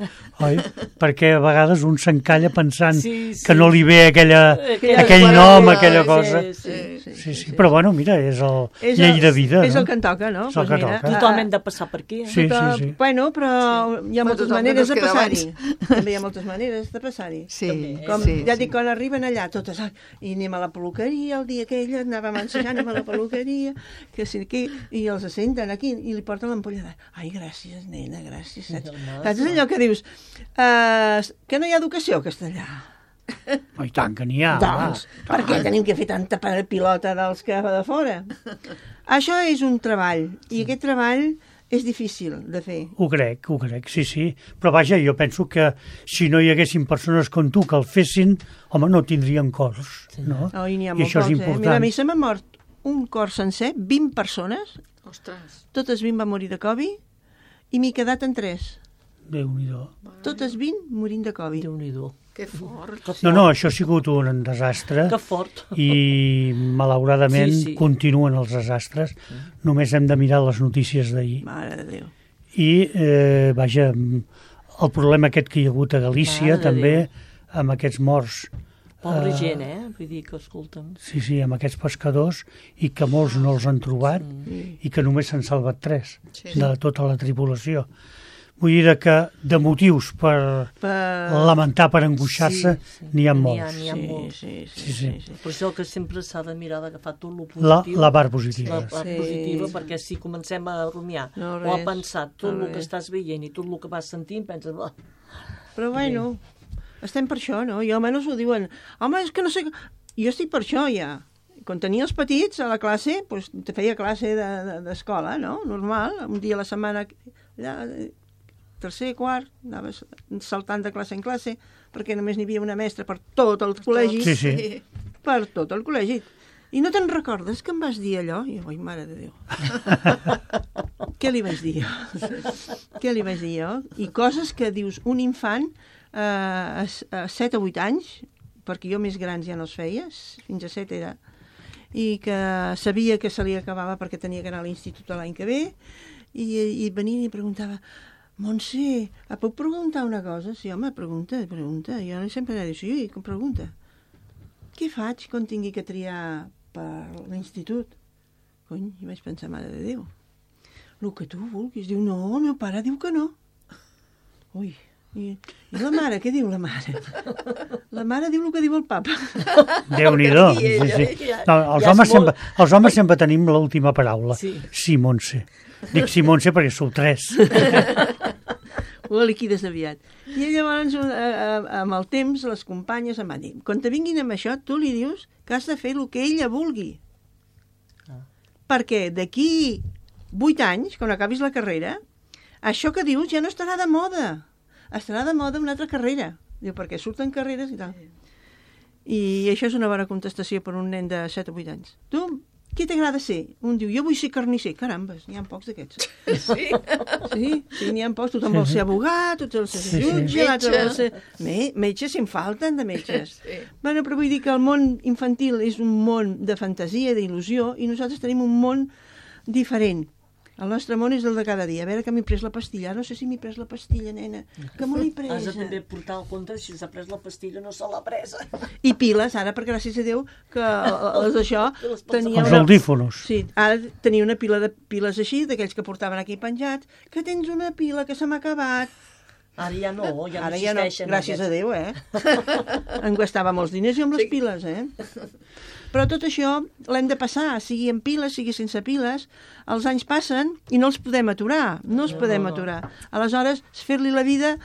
oi? Perquè a vegades un s'encalla pensant Sí, sí. que no li ve aquell paraula, nom, aquella cosa. Sí. Però bueno, mira, és el llei de vida, És no? el que en toca, no? És el que toca. Tothom hem de passar per aquí. Sí, sí. Bueno, però hi ha moltes tothom maneres que de no es queda passar-hi. També hi ha moltes maneres de passar-hi. Sí, Com sí, ja sí. dic, quan arriben allà totes, i anem a la peluqueria, el dia aquell anàvem ensejant, anem a la peluqueria, que sí, aquí, i els senten aquí, i li porten l'ampolla de... Ai, gràcies, nena, gràcies, saps? Saps allò que dius? Que no hi ha educació a Castellà. I tant que n'hi ha. Doncs, per què tenim que fer tanta pilota dels que va de fora? Això és un treball, i aquest treball és difícil de fer. Ho crec, sí, sí. Però vaja, jo penso que si no hi haguessin persones com tu que el fessin, home, no tindríem cors, no? Oh, i n'hi ha I molt això és pocs, important. Mira, a mi se m'ha mort un cor sencer, 20 persones, Ostres. totes 20 van morir de Covid, i m'he quedat en 3. Déu-n'hi-do. Totes 20 morint de Covid. Déu-n'hi-do. Que fort. No, això ha sigut un desastre. Que fort. I malauradament Sí. continuen els desastres. Només hem de mirar les notícies d'ahir. Mare de Déu. I, vaja, el problema aquest que hi ha hagut a Galícia, Mare de també, Déu. amb aquests morts. Pobra gent, Vull dir que, escolta'm... Sí, amb aquests pescadors, i que molts no els han trobat, i que només s'han salvat 3 de tota la tripulació. Vull dir que de motius per lamentar, per angoixar-se, n'hi ha molts. N'hi ha molts. Sí. Per això que sempre s'ha de mirar d'agafar tot el positiu. La part positiva. La part positiva, perquè si comencem a rumiar o a pensar tot el que estàs veient i tot el que vas sentint, penses... Però bueno, estem per això, no? I almenys ho diuen. Home, és que no sé... Jo estic per això, ja. Quan tenia els petits a la classe, doncs te feia classe d'escola, no? Normal, un dia a la setmana... tercer, quart, anaves saltant de classe en classe, perquè només n'hi havia una mestra per tot el col·legi. Sí. Per tot el col·legi. I no te'n recordes que em vas dir allò? I jo, ai, mare de Déu. Què li vaig dir jo? Què li vaig dir jo? I coses que dius, un infant a 7 o 8 anys, perquè jo més grans ja no es feia, fins a 7 era, i que sabia que se li acabava perquè tenia que anar a l'institut l'any que ve, i venia i preguntava: Montse, et puc preguntar una cosa? Sí, home, pregunta. Jo sempre he dit, sí, pregunta. Què faig quan tingui que triar per l'institut? Cony, i vaig pensar, mare de Déu. El que tu vulguis. Diu, no, el meu pare diu que no. Ui, i la mare, què diu la mare? La mare diu el que diu el papa. Déu-n'hi-do. Sí. No, els homes sempre tenim l'última paraula. Sí, Montse. Dic sí, Montse, perquè sou 3. Ho liquides aviat. I llavors, amb el temps, les companyes em van dir, quan te vinguin amb això, tu li dius que has de fer el que ella vulgui. Perquè d'aquí 8 anys, quan acabis la carrera, això que dius ja no estarà de moda. Estarà de moda una altra carrera. Diu, perquè surten carreres i tal. I això és una bona contestació per un nen de 7 o 8 anys. Tu, què t'agrada ser? Un diu, jo vull ser carnisser. Carambes, n'hi ha pocs d'aquests. Sí. Sí, n'hi ha pocs. Tothom vol ser abogat, tothom vol ser jutge, l'altre vol ser... Metge, si en falten de metges. Bueno, però vull dir que el món infantil és un món de fantasia, d'il·lusió, i nosaltres tenim un món diferent. El nostre món és el de cada dia. A veure que m'he pres la pastilla. No sé si m'he pres la pastilla, nena. Que me l'he presa. Has de també portar el compte, si s'ha pres la pastilla no se l'ha presa. I piles, ara, perquè gràcies a Déu que els d'això tenia Els audífonos. Sí, ara tenia una pila de piles així, d'aquells que portaven aquí penjats, que tens una pila que se m'ha acabat. Ara ja no, ja Ara no ja no, existeixen. gràcies a Déu, Em gastava molts diners jo amb les piles, Però tot això l'hem de passar, sigui amb piles, sigui sense piles. Els anys passen i no els podem aturar, no els podem aturar. Aleshores, fer-li la vida,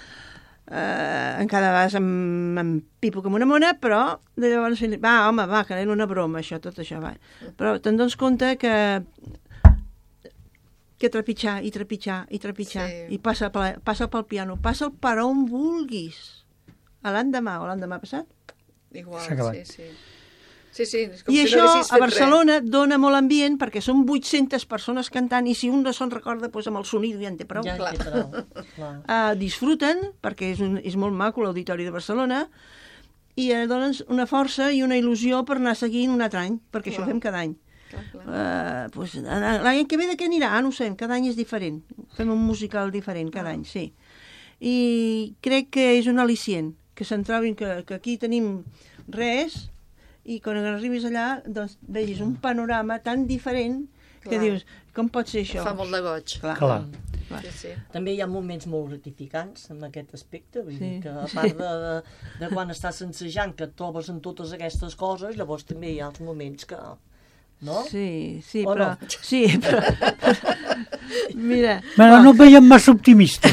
encara vas amb pipo com una mona, però de llavors, va, que era una broma, això, tot això, va. Però te'n dones compte que trepitjar, i passa pel piano, passa'l per on vulguis. L'endemà o l'endemà passat. Igual, sí. I això a Barcelona dona molt ambient perquè són 800 persones cantant i si un no se'n recorda, doncs amb el sonido ja en té prou. Ja en té prou. Disfruten, perquè és molt maco l'Auditori de Barcelona, i donen una força i una il·lusió per anar seguint un altre any, perquè això ho fem cada any. L'any que ve de què anirà? No ho sé, cada any és diferent. Fem un musical diferent cada any, sí. i crec que és un al·licient, que se'n trobin que aquí tenim res i quan arribis allà doncs, vegis un panorama tan diferent que dius, com pot ser això? Fa molt de goig. Clar. Sí. També hi ha moments molt gratificants en aquest aspecte, vull dir que a part de quan estàs sensejant que et trobes en totes aquestes coses, llavors també hi ha els moments que... No? Sí, O però... no? Sí, però... Mira... Bueno, no et veiem massa optimista,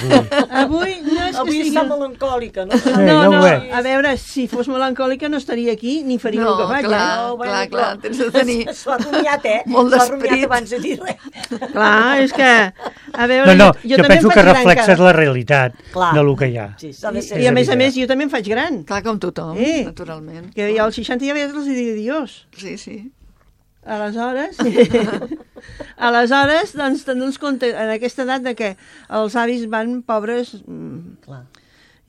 Avui no és que Avui sigui... està melancòlica, no? No, a veure, si fos melancòlica no estaria aquí ni faria el que faig. Clar, tens de tenir... S'ho ha rumiat, Molt S'ho ha d'esperit. rumiat abans de dir res. Clar, és que... A veure, No, jo jo també penso em que faig gran reflexes cara. la realitat Clar. de lo que hi ha. Sí, s'ha de ser. I a més evident. jo també em faig gran. Clar, com tothom, naturalment. Que jo als 60 ja veig els dic adiós. Sí. Aleshores, doncs, tenim compte en aquesta edat de que els avis van pobres Clar.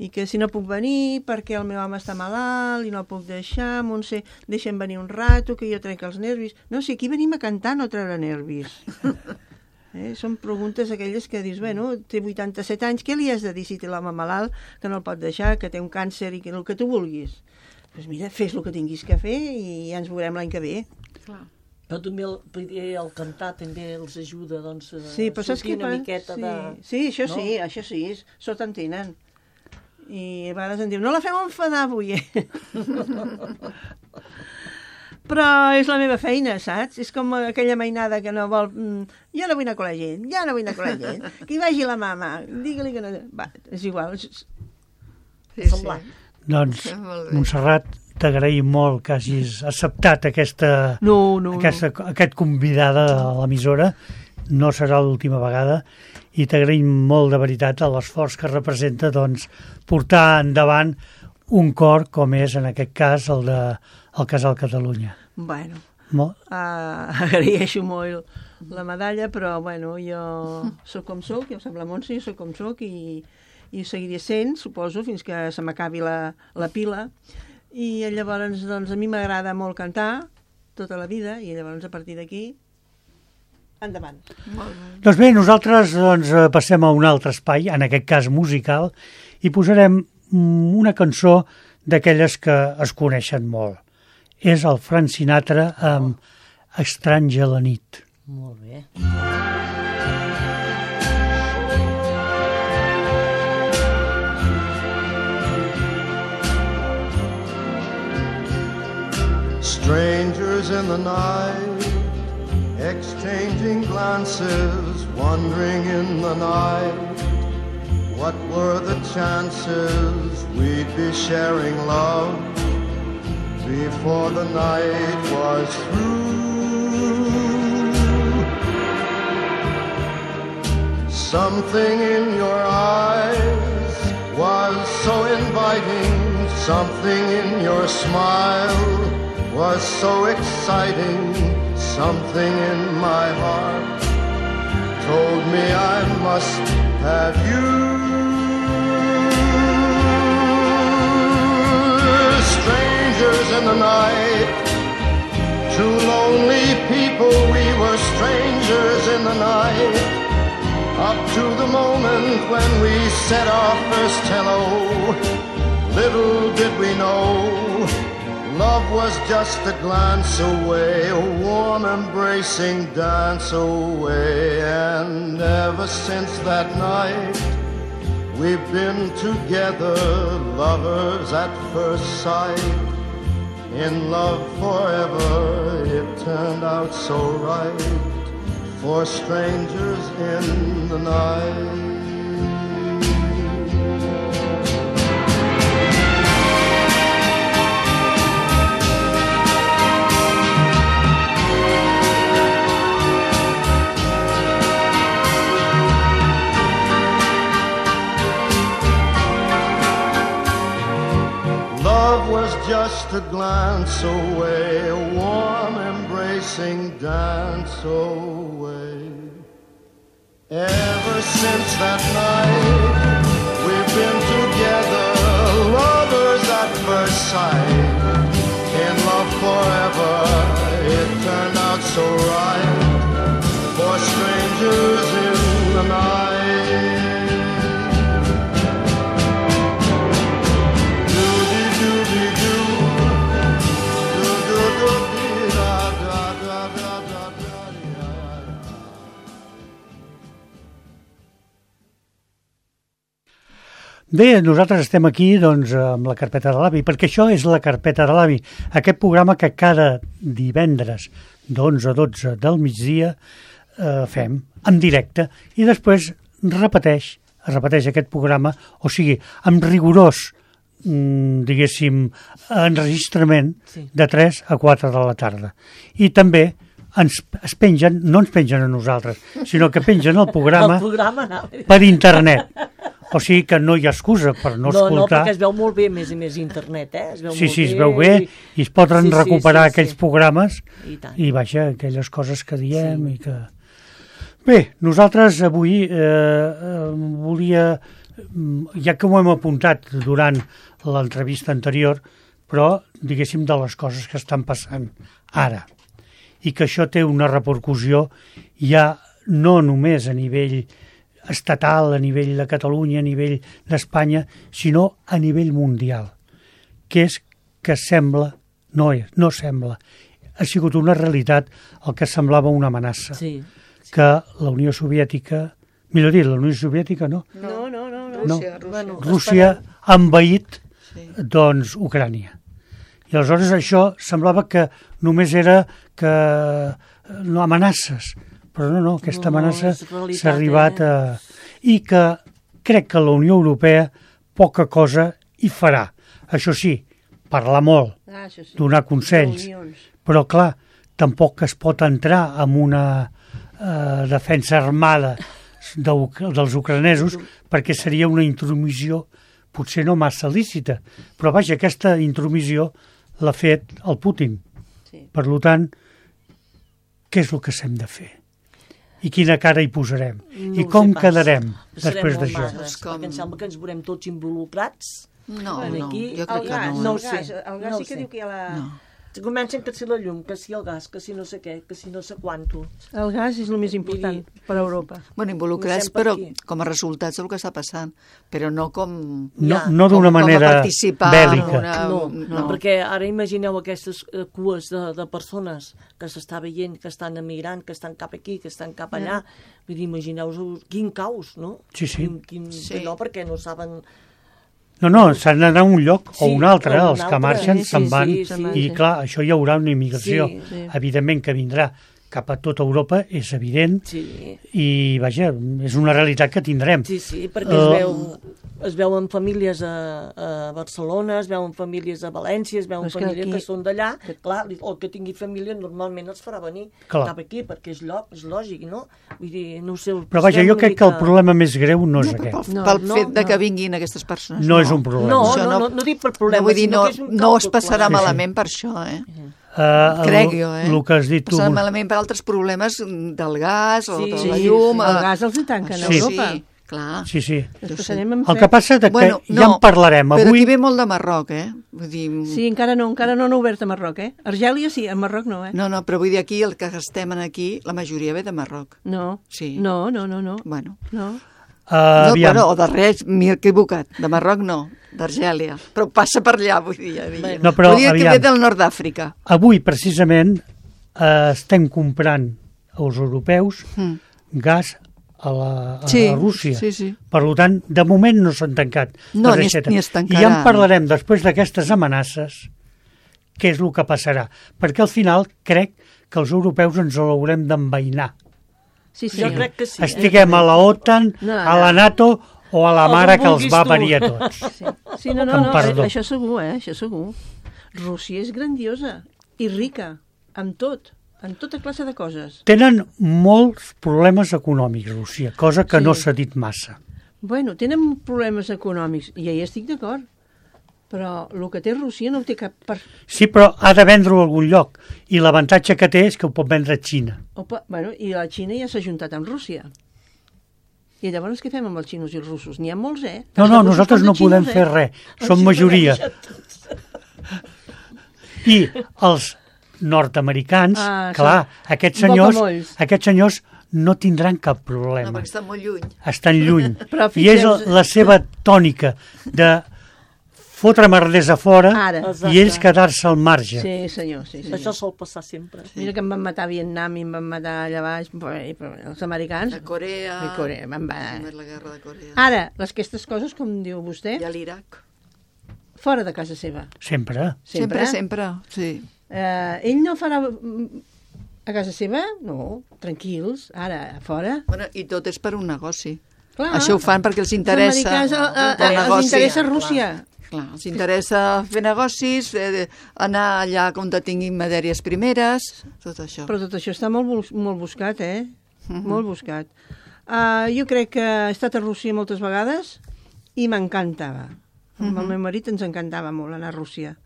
i que si no puc venir perquè el meu home està malalt i no el puc deixar, Montse, deixa'm venir un rato que jo trec els nervis. No, si aquí venim a cantar, no a treure nervis. Són preguntes aquelles que dius, bueno, té 87 anys, què li has de dir si té l'home malalt, que no el pot deixar, que té un càncer i que el que tu vulguis? Doncs mira, fes el que tinguis que fer i ja ens veurem l'any que ve. Clar. Però també el cantar també els ajuda doncs, a Sí, però saps sortir què una fa? miqueta Sí. de... Sí, això no? sí, això sí, sort en tenen. I a vegades em diu, no la fem enfadar avui, Però és la meva feina, saps? És com aquella mainada que no vol... Jo no vull anar a la gent, ja no vull anar a la gent. Que hi vagi la mama, digue-li que no... Va, és igual. Sí. Doncs, Molt bé. Montserrat, t'agraïm molt que hagis acceptat aquest convidada a l'emissora. No serà l'última vegada i t'agraïm molt de veritat l'esforç que representa doncs, portar endavant un cor com és en aquest cas el Casal Catalunya. Bueno, Molt... agraeixo molt la medalla, però bueno, jo sóc com sóc, ja ho sap la Montse, jo sóc com sóc i ho seguiré sent, suposo, fins que se m'acabi la pila. I llavors, doncs, a mi m'agrada molt cantar tota la vida i llavors a partir d'aquí endavant. Doncs bé, nosaltres passem a un altre espai, en aquest cas musical, i posarem una cançó d'aquelles que es coneixen molt. És el Frank Sinatra amb Estranja la nit. Molt bé. Strangers in the night, exchanging glances, wandering in the night. What were the chances we'd be sharing love before the night was through? Something in your eyes was so inviting, something in your smile was so exciting, something in my heart told me I must have you. Strangers in the night, two lonely people, we were strangers in the night, up to the moment when we said our first hello. Little did we know love was just a glance away, a warm embracing dance away. And ever since that night, we've been together, lovers at first sight. In love forever, it turned out so right, for strangers in the night. Just a glance away, a warm embracing dance away. Ever since that night, we've been together, lovers at first sight. In love forever, it turned out so right, for strangers in the night. Bé, nosaltres estem aquí doncs, amb la carpeta de l'avi, perquè això és la carpeta de l'avi, aquest programa que cada divendres d'11 a 12 del migdia fem en directe i després es repeteix aquest programa, o sigui, amb rigorós, diguéssim, enregistrament de 3 a 4 de la tarda. I també es pengen, no ens pengen a nosaltres, sinó que pengen el programa per internet. O sigui que no hi ha excusa per no escoltar. No, perquè es veu molt bé, més i més, internet, Es veu molt es veu bé i es poden recuperar aquells programes i vaja, aquelles coses que diem i que... Bé, nosaltres avui volia, ja que ho hem apuntat durant l'entrevista anterior, però diguéssim de les coses que estan passant ara i que això té una repercussió ja no només a nivell estatal, a nivell de Catalunya, a nivell d'Espanya, sinó a nivell mundial, que és que sembla, no sembla, ha sigut una realitat el que semblava una amenaça, que la Unió Soviètica, millor dit, la Unió Soviètica no, Rússia ha envaït doncs Ucrània. I aleshores això semblava que només era que no amenaces, però no, aquesta amenaça s'ha arribat a... I que crec que la Unió Europea poca cosa hi farà. Això sí, parlar molt, donar consells, però clar, tampoc es pot entrar en una defensa armada dels ucranesos perquè seria una intromissió potser no massa lícita, però vaja, aquesta intromissió l'ha fet el Putin. Per tant, què és el que s'hem de fer? I quina cara hi posarem? I com quedarem després d'això? Perquè em sembla que ens veurem tots involucrats. No, jo crec que no. No ho sé. El gas sí que diu que hi ha la... Comencen que si la llum, que si el gas, que si no sé què, que si no sé quanto. El gas és el més important per a Europa. Bueno, involucrats, però com a resultats del que està passant, però no com... No d'una manera bèl·lica. No, perquè ara imagineu aquestes cues de persones que s'està veient, que estan emigrant, que estan cap aquí, que estan cap allà. Vull dir, imagineu-vos quin caos, no? Sí. No, perquè no saben... No, s'han d'anar a un lloc o un altre, els que marxen se'n van, i clar, això hi haurà una immigració, evidentment que vindrà cap a tota Europa, és evident, i vaja, és una realitat que tindrem. Sí, perquè es veuen famílies a Barcelona, es veuen famílies a València, es veuen famílies que són d'allà, clar, el que tingui família normalment els farà venir cap aquí, perquè és lògic, no? Vull dir, no ho sé... Però vaja, jo crec que el problema més greu no és aquest. Pel fet de que vinguin aquestes persones. No és un problema. No dic per problema, sinó que és un caos. No es passarà malament per això, crec jo, el que has dit tu... Passarà malament per altres problemes del gas o de la llum... El gas els hi tanquen a Europa. Clar. Sí. El que passa és que ja en parlarem avui... Però aquí ve molt de Marroc, Vull dir... Sí, encara no han obert a Marroc, Argèlia sí, a Marroc no, No, però vull dir aquí, el que estem aquí, la majoria ve de Marroc. No. Sí. No. Bueno. No. O de res, m'he equivocat. De Marroc no, d'Argèlia. Però passa per allà, vull dir. Vull dir que ve del nord d'Àfrica. Avui, precisament, estem comprant als europeus gas a Rússia. Sí. Per tant, de moment no s'han tancat. No, ni es tancaran. I ja en parlarem després d'aquestes amenaces, què és el que passarà. Perquè al final crec que els europeus ens l'haurem d'envainar. Sí. Jo crec que sí. Estiguem a la OTAN, a la NATO o a la mare que els va parir a tots. Sí, no, això segur, Rússia és grandiosa i rica, amb tota classe de coses. Tenen molts problemes econòmics, Rússia, cosa que no s'ha dit massa. Bueno, tenen problemes econòmics, i ja hi estic d'acord, però el que té Rússia no ho té cap... Sí, però ha de vendre-ho a algun lloc, i l'avantatge que té és que ho pot vendre a Xina. I la Xina ja s'ha juntat amb Rússia. I llavors què fem amb els xinos i els russos? N'hi ha molts, No, nosaltres no podem fer res, som majoria. I els nord-americans, clar, aquests senyors no tindran cap problema. No, perquè estan molt lluny. Estan lluny. I és la seva tònica de fotre merders a fora Ara. i ells quedar-se al marge. Sí, senyor. Això sol passar sempre. Mira que em van matar a Vietnam i em van matar allà baix, però els americans... De Corea. De Corea, La guerra de Corea. Ara, aquestes coses, com diu vostè, I a l'Iraq. fora de casa seva. Sempre. Sempre, sí. Ell no farà a casa seva? No, tranquils, ara, a fora. Bueno, i tot és per un negoci. Clar. Això ho fan perquè els interessa Els americans els interessa Rússia. Clar, els interessa fer negocis, anar allà on tinguin matèries primeres, tot això. Però tot això està molt buscat, Molt buscat. Jo crec que he estat a Rússia moltes vegades i m'encantava. Amb el meu marit ens encantava molt anar a Rússia.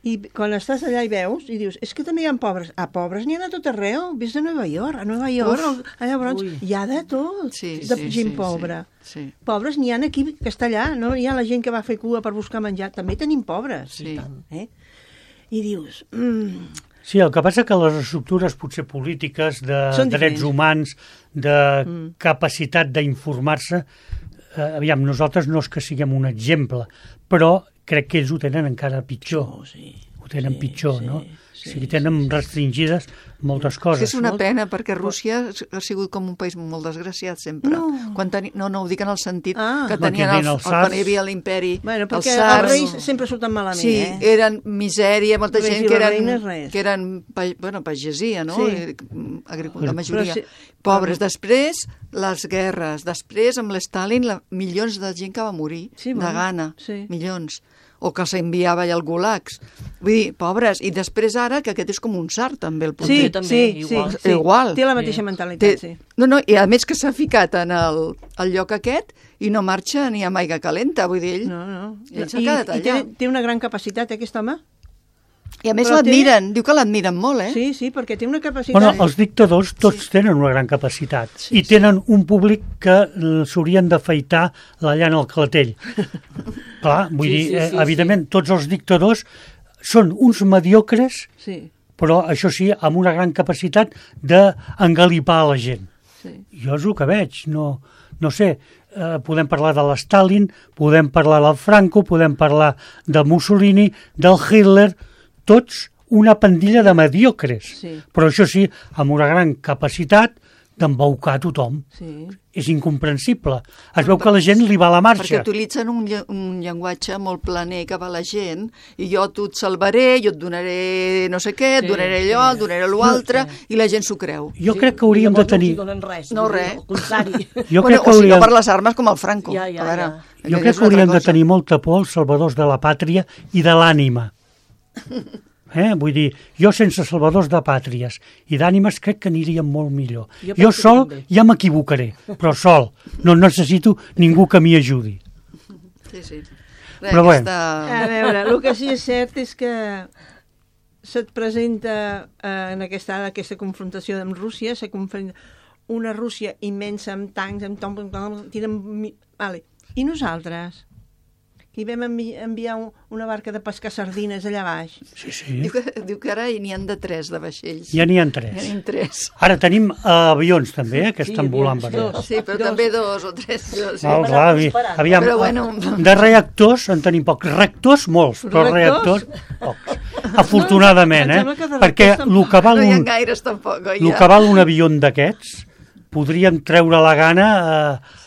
I quan estàs allà i veus, i dius, és que també hi ha pobres. Pobres n'hi ha a tot arreu. Ves a Nova York, allà Bronx, hi ha de tot, gent pobra. Sí. Pobres n'hi ha aquí que està allà, no? Hi ha la gent que va fer cua per buscar menjar. També tenim pobres. Sí. I dius... Sí, el que passa que les estructures potser polítiques, de drets humans, de capacitat d'informar-se, aviam, nosaltres no és que siguem un exemple, però crec que ells ho tenen encara pitjor. Ho tenen pitjor, no? O sigui, tenen restringides moltes coses. És una pena, perquè Rússia ha sigut com un país molt desgraciat sempre. No, ho dic en el sentit que tenien quan hi havia l'imperi, bueno, perquè els reis sempre surten malament, Sí, eren misèria, molta gent que eren pagesia, no? La majoria. Pobres. Després, les guerres. Després, amb l'Stalin, milions de gent que va morir de gana. Milions. O que s'enviava allà al gulags. Vull dir, pobres. I després ara, que aquest és com un tsar, també, el puntet. Igual. Té la mateixa mentalitat, sí. No, i a més que s'ha ficat en el lloc aquest i no marxa ni amb aigua calenta, vull dir, ell. No. Ell s'ha quedat allà. I té una gran capacitat, aquest home. I a més l'admiren, diu que l'admiren molt, Sí, perquè té una capacitat... Bueno, els dictadors tots tenen una gran capacitat i tenen un públic que s'haurien d'afaitar la llana al clatell. Clar, vull dir, evidentment, tots els dictadors són uns mediocres, però això sí, amb una gran capacitat d'engalipar a la gent. Jo és el que veig, no sé, podem parlar de l'Stalin, podem parlar del Franco, podem parlar de Mussolini, del Hitler, tots una pandilla de mediocres, però això sí, amb una gran capacitat d'embaucar tothom. És incomprensible. Es veu que la gent li va a la marxa. Perquè utilitzen un llenguatge molt planer que va a la gent, i jo tu et salvaré, jo et donaré no sé què, et donaré allò, et donaré l'altre, i la gent s'ho creu. Jo crec que hauríem de tenir... No, res. Al contrari. O si no per les armes com el Franco. Jo crec que hauríem de tenir molta por als salvadors de la pàtria i de l'ànima. Vull dir, jo sense salvadors de pàtries i d'ànimes crec que aniríem molt millor. Jo sol ja m'equivocaré, però sol. No necessito ningú que m'hi ajudi. Sí. Però bueno. A veure, el que sí és cert és que se't presenta en aquesta confrontació amb Rússia, una Rússia immensa amb tancs, i nosaltres? I vam enviar una barca de pescar sardines allà baix. Sí. Diu que ara n'hi han de 3 de vaixells. Ja n'hi ha 3. Ara tenim avions també, que estan volant. Sí, però també 2 o 3. Aviam, de reactors en tenim pocs. Rectors, molts, però reactors, pocs. Afortunadament, perquè el que val no hi ha gaires tampoc. El que val un avió d'aquests podríem treure la gana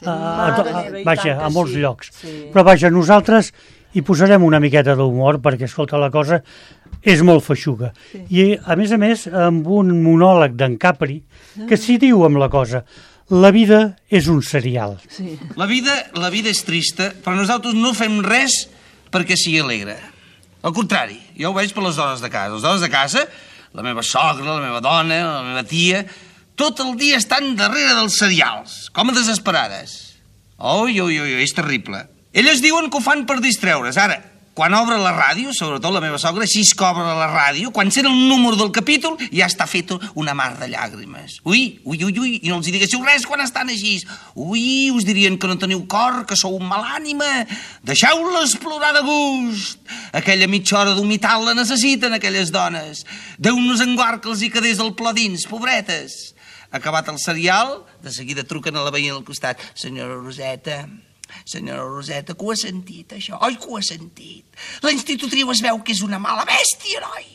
a molts llocs. Però vaja, nosaltres hi posarem una miqueta d'humor perquè, escolta, la cosa és molt feixuga. I, a més, amb un monòleg d'en Capri, que s'hi diu amb la cosa, la vida és un serial. La vida és trista, però nosaltres no fem res perquè sigui alegre. Al contrari, jo ho veig per les dones de casa. Les dones de casa, la meva sogra, la meva dona, la meva tia... tot el dia estan darrere dels serials, com a desesperades. És terrible. Elles diuen que ho fan per distreure's. Ara, quan obre la ràdio, sobretot la meva sogra, així que obre la ràdio, quan sent el número del capítol, ja està fet una mar de llàgrimes. Ui, i no els diguéssiu res quan estan així. Ui, us dirien que no teniu cor, que sou un mal ànima. Deixeu-les plorar de gust. Aquella mitja hora d'humitat la necessiten, aquelles dones. Déu nos en guard que els hi quedés el plor dins, pobretes. Acabat el serial, de seguida truquen a la veïna al costat. Senyora Roseta, Senyora Roseta, que ho ha sentit, això? Oi que ho ha sentit? La institutriu es veu que és una mala bèstia, noi.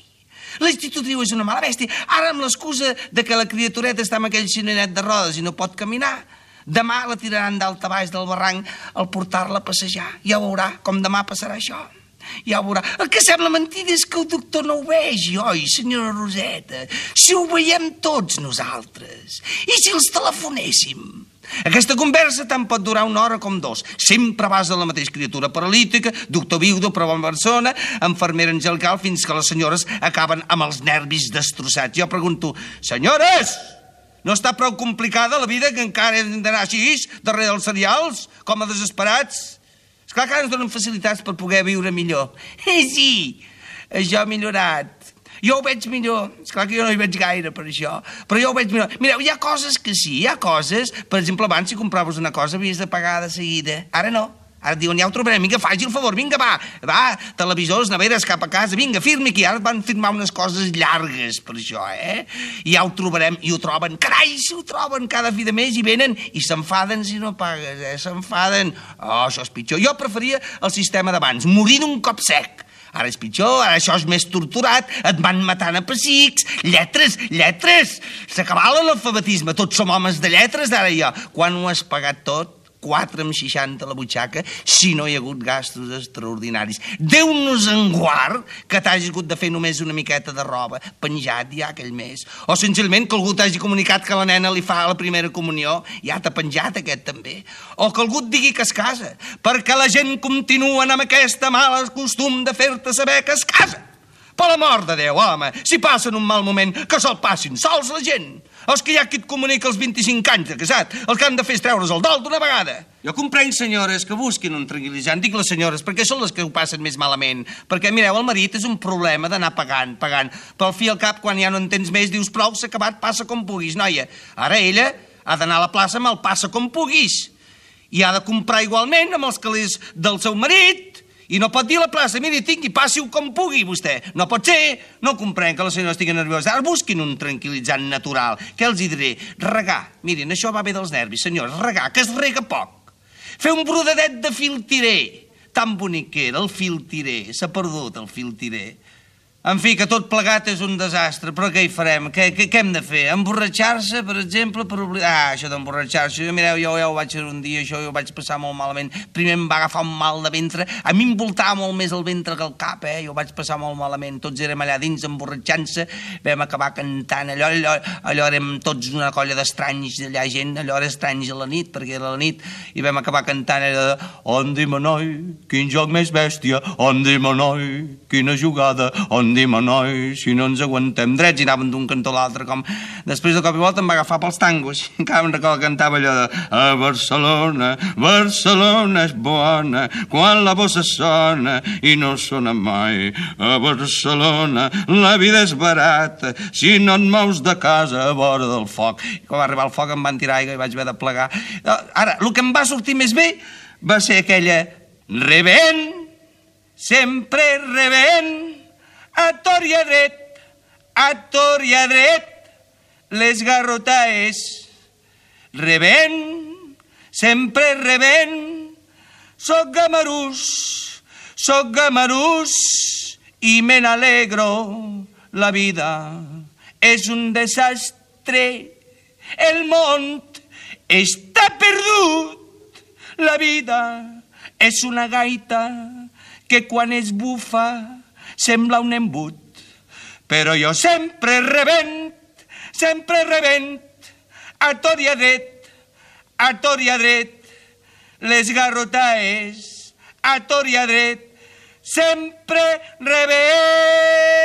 La institutriu és una mala bèstia. Ara, amb l'excusa de que la criatureta està amb aquell cinenet de rodes i no pot caminar, demà la tiraran dalt a baix del barranc al portar-la a passejar. Ja veurà com demà passarà això. Ja ho veurà. El que sembla mentida és que el doctor no ho vegi, oi, senyora Roseta? Si ho veiem tots nosaltres. I si els telefonéssim? Aquesta conversa tant pot durar 1 hora com 2. Sempre vas a la mateixa criatura paralítica, doctor viudo, però bona persona, infermera angelical, fins que les senyores acaben amb els nervis destrossats. Jo pregunto, senyores, no està prou complicada la vida que encara hem d'anar així, darrere dels cereals, com a desesperats? Esclar que ara ens donen facilitats per poder viure millor. Sí, això ha millorat. Jo ho veig millor. Esclar que jo no hi veig gaire per això, però jo ho veig millor. Mireu, hi ha coses que sí, hi ha coses... Per exemple, abans si compraves una cosa havies de pagar de seguida. Ara no. Ara et diuen, ja ho trobarem, vinga, faci el favor, vinga, va, televisors, neveres, cap a casa, vinga, firmi aquí. Ara van firmar unes coses llargues per això, I ja ho trobarem, i ho troben. Carai, si ho troben cada fi de mes i venen i s'enfaden si no pagues, s'enfaden. Oh, això és pitjor. Jo preferia el sistema d'abans, morir d'un cop sec. Ara és pitjor, ara això és més torturat, et van matant a pessics, lletres. S'acabà l'alfabetisme, tots som homes de lletres, ara ja. Quan ho has pagat tot? 4,60 a la butxaca, si no hi ha hagut gastos extraordinaris. Déu-nos en guard que t'hagis hagut de fer només una miqueta de roba, penjat ja aquell mes. O senzillament que algú t'hagi comunicat que la nena li fa la primera comunió, ja t'ha penjat aquest també. O que algú et digui que es casa, perquè la gent continua amb aquesta mala costum de fer-te saber que es casa. Per l'amor de Déu, home, si passen un mal moment, que se'l passin sols la gent. Els que hi ha qui et comunica els 25 anys de casat, els que han de fer és treure's el dol d'una vegada. Jo comprenc, senyores, que busquin un tranquil·litzant. Dic les senyores, perquè són les que ho passen més malament. Perquè, mireu, el marit és un problema d'anar pagant. Però al fi al cap, quan ja no en tens més, dius, prou, s'ha acabat, passa com puguis, noia. Ara ella ha d'anar a la plaça amb el passa com puguis. I ha de comprar igualment amb els calés del seu marit. I no pot dir a la plaça, miri, tingui, passi-ho com pugui, vostè. No pot ser. No comprenc que la senyora estigui nerviosa. Ara busquin un tranquil·litzant natural. Què els hi diré? Regar. Mirin, això va bé dels nervis, senyors. Regar, que es rega poc. Fer un brodadet de filtiré. Tan bonic que era, el filtiré. S'ha perdut, el filtiré. En fi, que tot plegat és un desastre, però què hi farem? Què hem de fer? Emborratxar-se, per exemple, per oblidar... això d'emborratxar-se, mireu, jo ja ho vaig fer un dia, això jo ho vaig passar molt malament. Primer em va agafar un mal de ventre, a mi em voltava molt més el ventre que el cap, jo ho vaig passar molt malament. Tots érem allà dins emborratxant-se, vam acabar cantant, allò érem tots una colla d'estranys, allà gent, allò era estranys a la nit, perquè era la nit, i vam acabar cantant allò de «Ondima, noi, quin joc més bèstia, ondima, noi, quina jugada, ondima, noi, si no ens aguantem drets», i anàvem d'un cantó a l'altre, com... Després de cop i volta em va agafar pels tangos, i encara em recordo que cantava allò de «A Barcelona, Barcelona és bona, quan la bossa sona i no sona mai. A Barcelona la vida és barata, si no et mous de casa a vora del foc». I quan va arribar el foc em van tirar aigua i vaig haver de plegar. Ara, el que em va sortir més bé va ser aquella «Rebent, sempre rebent, a tor i a dret, les garrotaes. Rebent, sempre rebent, soc gamarús i me n'alegro. La vida és un desastre, el món està perdut. La vida és una gaita que quan es bufa sembla un embut, però jo sempre rebent, a tor i a dret, les garrotaes, a tor i a dret, sempre rebent.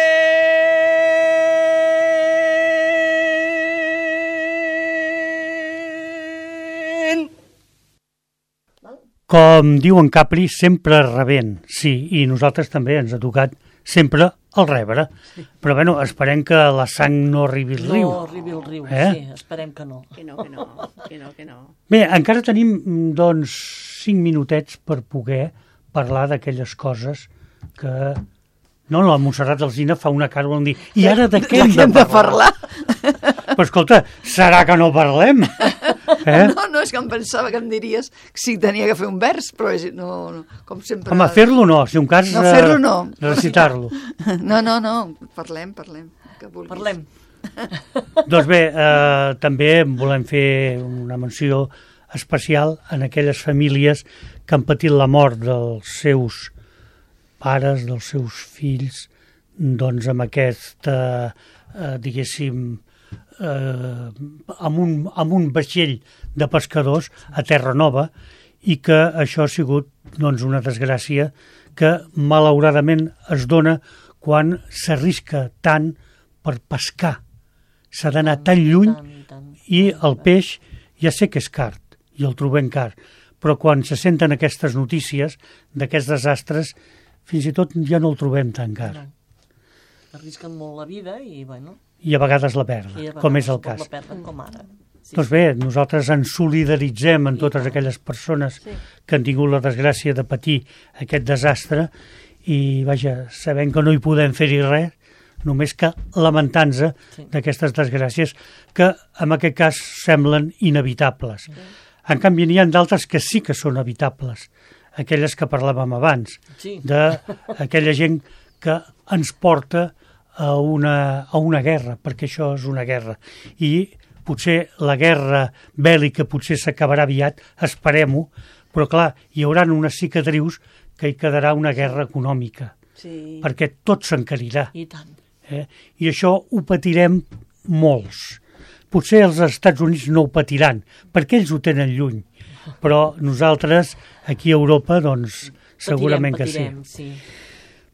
Com diu en Capri, sempre rebent, sí, i nosaltres també ens ha tocat sempre el rebre. Sí. Però, bueno, esperem que la sang no arribi al riu. No arribi al riu, sí, esperem que no. Que no. Bé, encara tenim, doncs, 5 minutets per poder parlar d'aquelles coses que... No, la Montserrat Alsina fa una cara on dir, i ara de què hem de parlar? Però, escolta, serà que no parlem? No, és que em pensava que em diries si tenia que fer un vers, però no, com sempre... Home, fer-lo no, si un cas... No, fer-lo no. Recitar-lo. No, parlem. Que vulguis. Parlem. Doncs bé, també volem fer una menció especial en aquelles famílies que han patit la mort dels seus pares, dels seus fills, doncs amb aquesta, diguéssim, amb un vaixell de pescadors a Terra Nova, i que això ha sigut doncs, una desgràcia que malauradament es dona quan s'arrisca tant per pescar. S'ha d'anar tan lluny i el peix ja sé que és car i el trobem car, però quan se senten aquestes notícies d'aquests desastres, fins i tot ja no el trobem tan car. No. Arrisquen molt la vida i, bueno... I a vegades la perden, com és el cas. La perden, com ara. Sí. Doncs bé, nosaltres ens solidaritzem amb totes aquelles persones que han tingut la desgràcia de patir aquest desastre i, vaja, sabem que no hi podem fer-hi res, només que lamentant-se d'aquestes desgràcies que en aquest cas semblen inevitables. En canvi, n'hi ha d'altres que sí que són evitables, aquelles que parlàvem abans, d'aquella gent que ens porta a una guerra, perquè això és una guerra. I potser la guerra bèl·lica potser s'acabarà aviat, esperem-ho, però clar, hi haurà unes cicatrius que hi quedarà una guerra econòmica, perquè tot s'encarirà. I tant. I això ho patirem molts. Potser els Estats Units no ho patiran, perquè ells ho tenen lluny, però nosaltres, aquí a Europa, doncs, segurament que sí.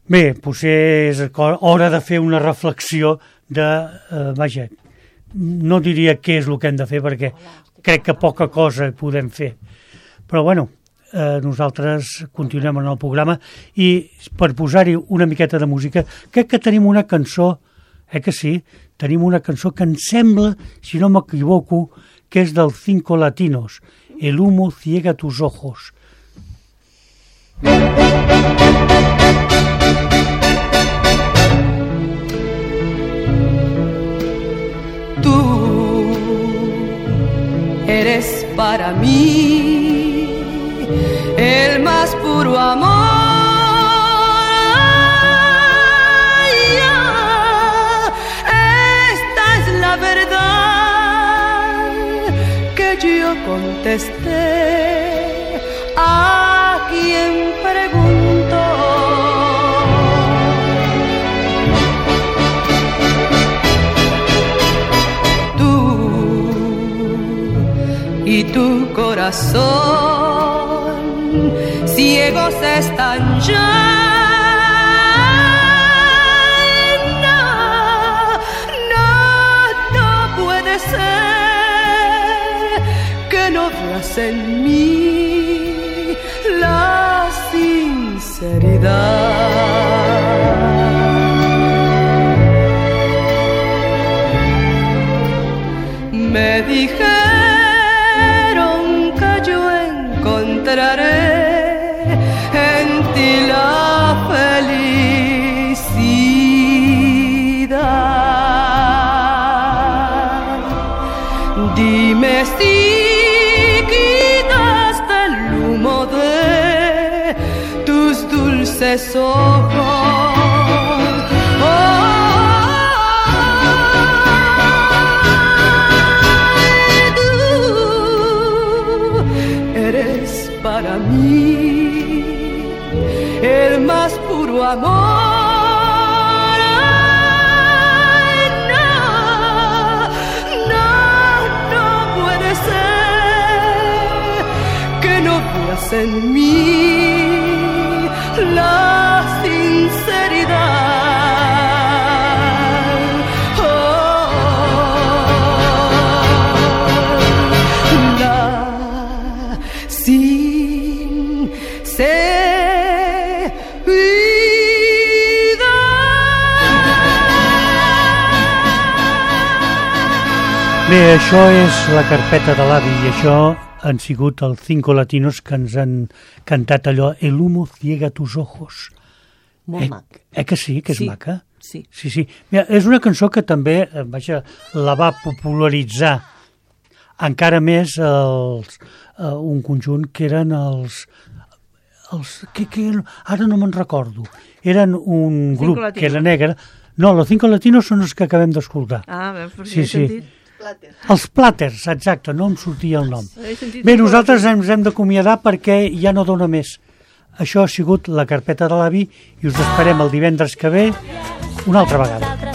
Bé, potser és hora de fer una reflexió de, vaja, no diria què és el que hem de fer, perquè crec que poca cosa podem fer. Però, bueno, nosaltres continuem en el programa i per posar-hi una miqueta de música, crec que tenim una cançó, que sí, tenim una cançó que em sembla, si no m'equivoco, que és del Cinco Latinos, El humo ciega tus ojos. Tú eres para mí el más puro amor. Esta es la verdad que yo contesté a quien preguntó. Tú y tu corazón ciegos están ya. No puede ser que no veas en mí la sinceridad. Me dijeron que yo encontraré en ti la felicidad. Dime si quitaste el humo de tus dulces ojos. Para mí, el más puro amor. No puede ser que no veas en mí la sinceridad. Bé, això és la carpeta de l'avi i això han sigut els Cinco Latinos que ens han cantat allò El humo ciega tus ojos. Molt mac. Que sí, que és maca? Sí. Sí. Mira, és una cançó que també, vaja, la va popularitzar encara més un conjunt que eren ara no me'n recordo. Eren un grup que era negre. No, los Cinco Latinos són els que acabem d'escoltar. Perquè he sentit. Els Platters, exacte, no em sortia el nom. Bé, nosaltres ens hem d'acomiadar perquè ja no dona més. Això ha sigut la carpeta de l'avi i us esperem el divendres que ve una altra vegada.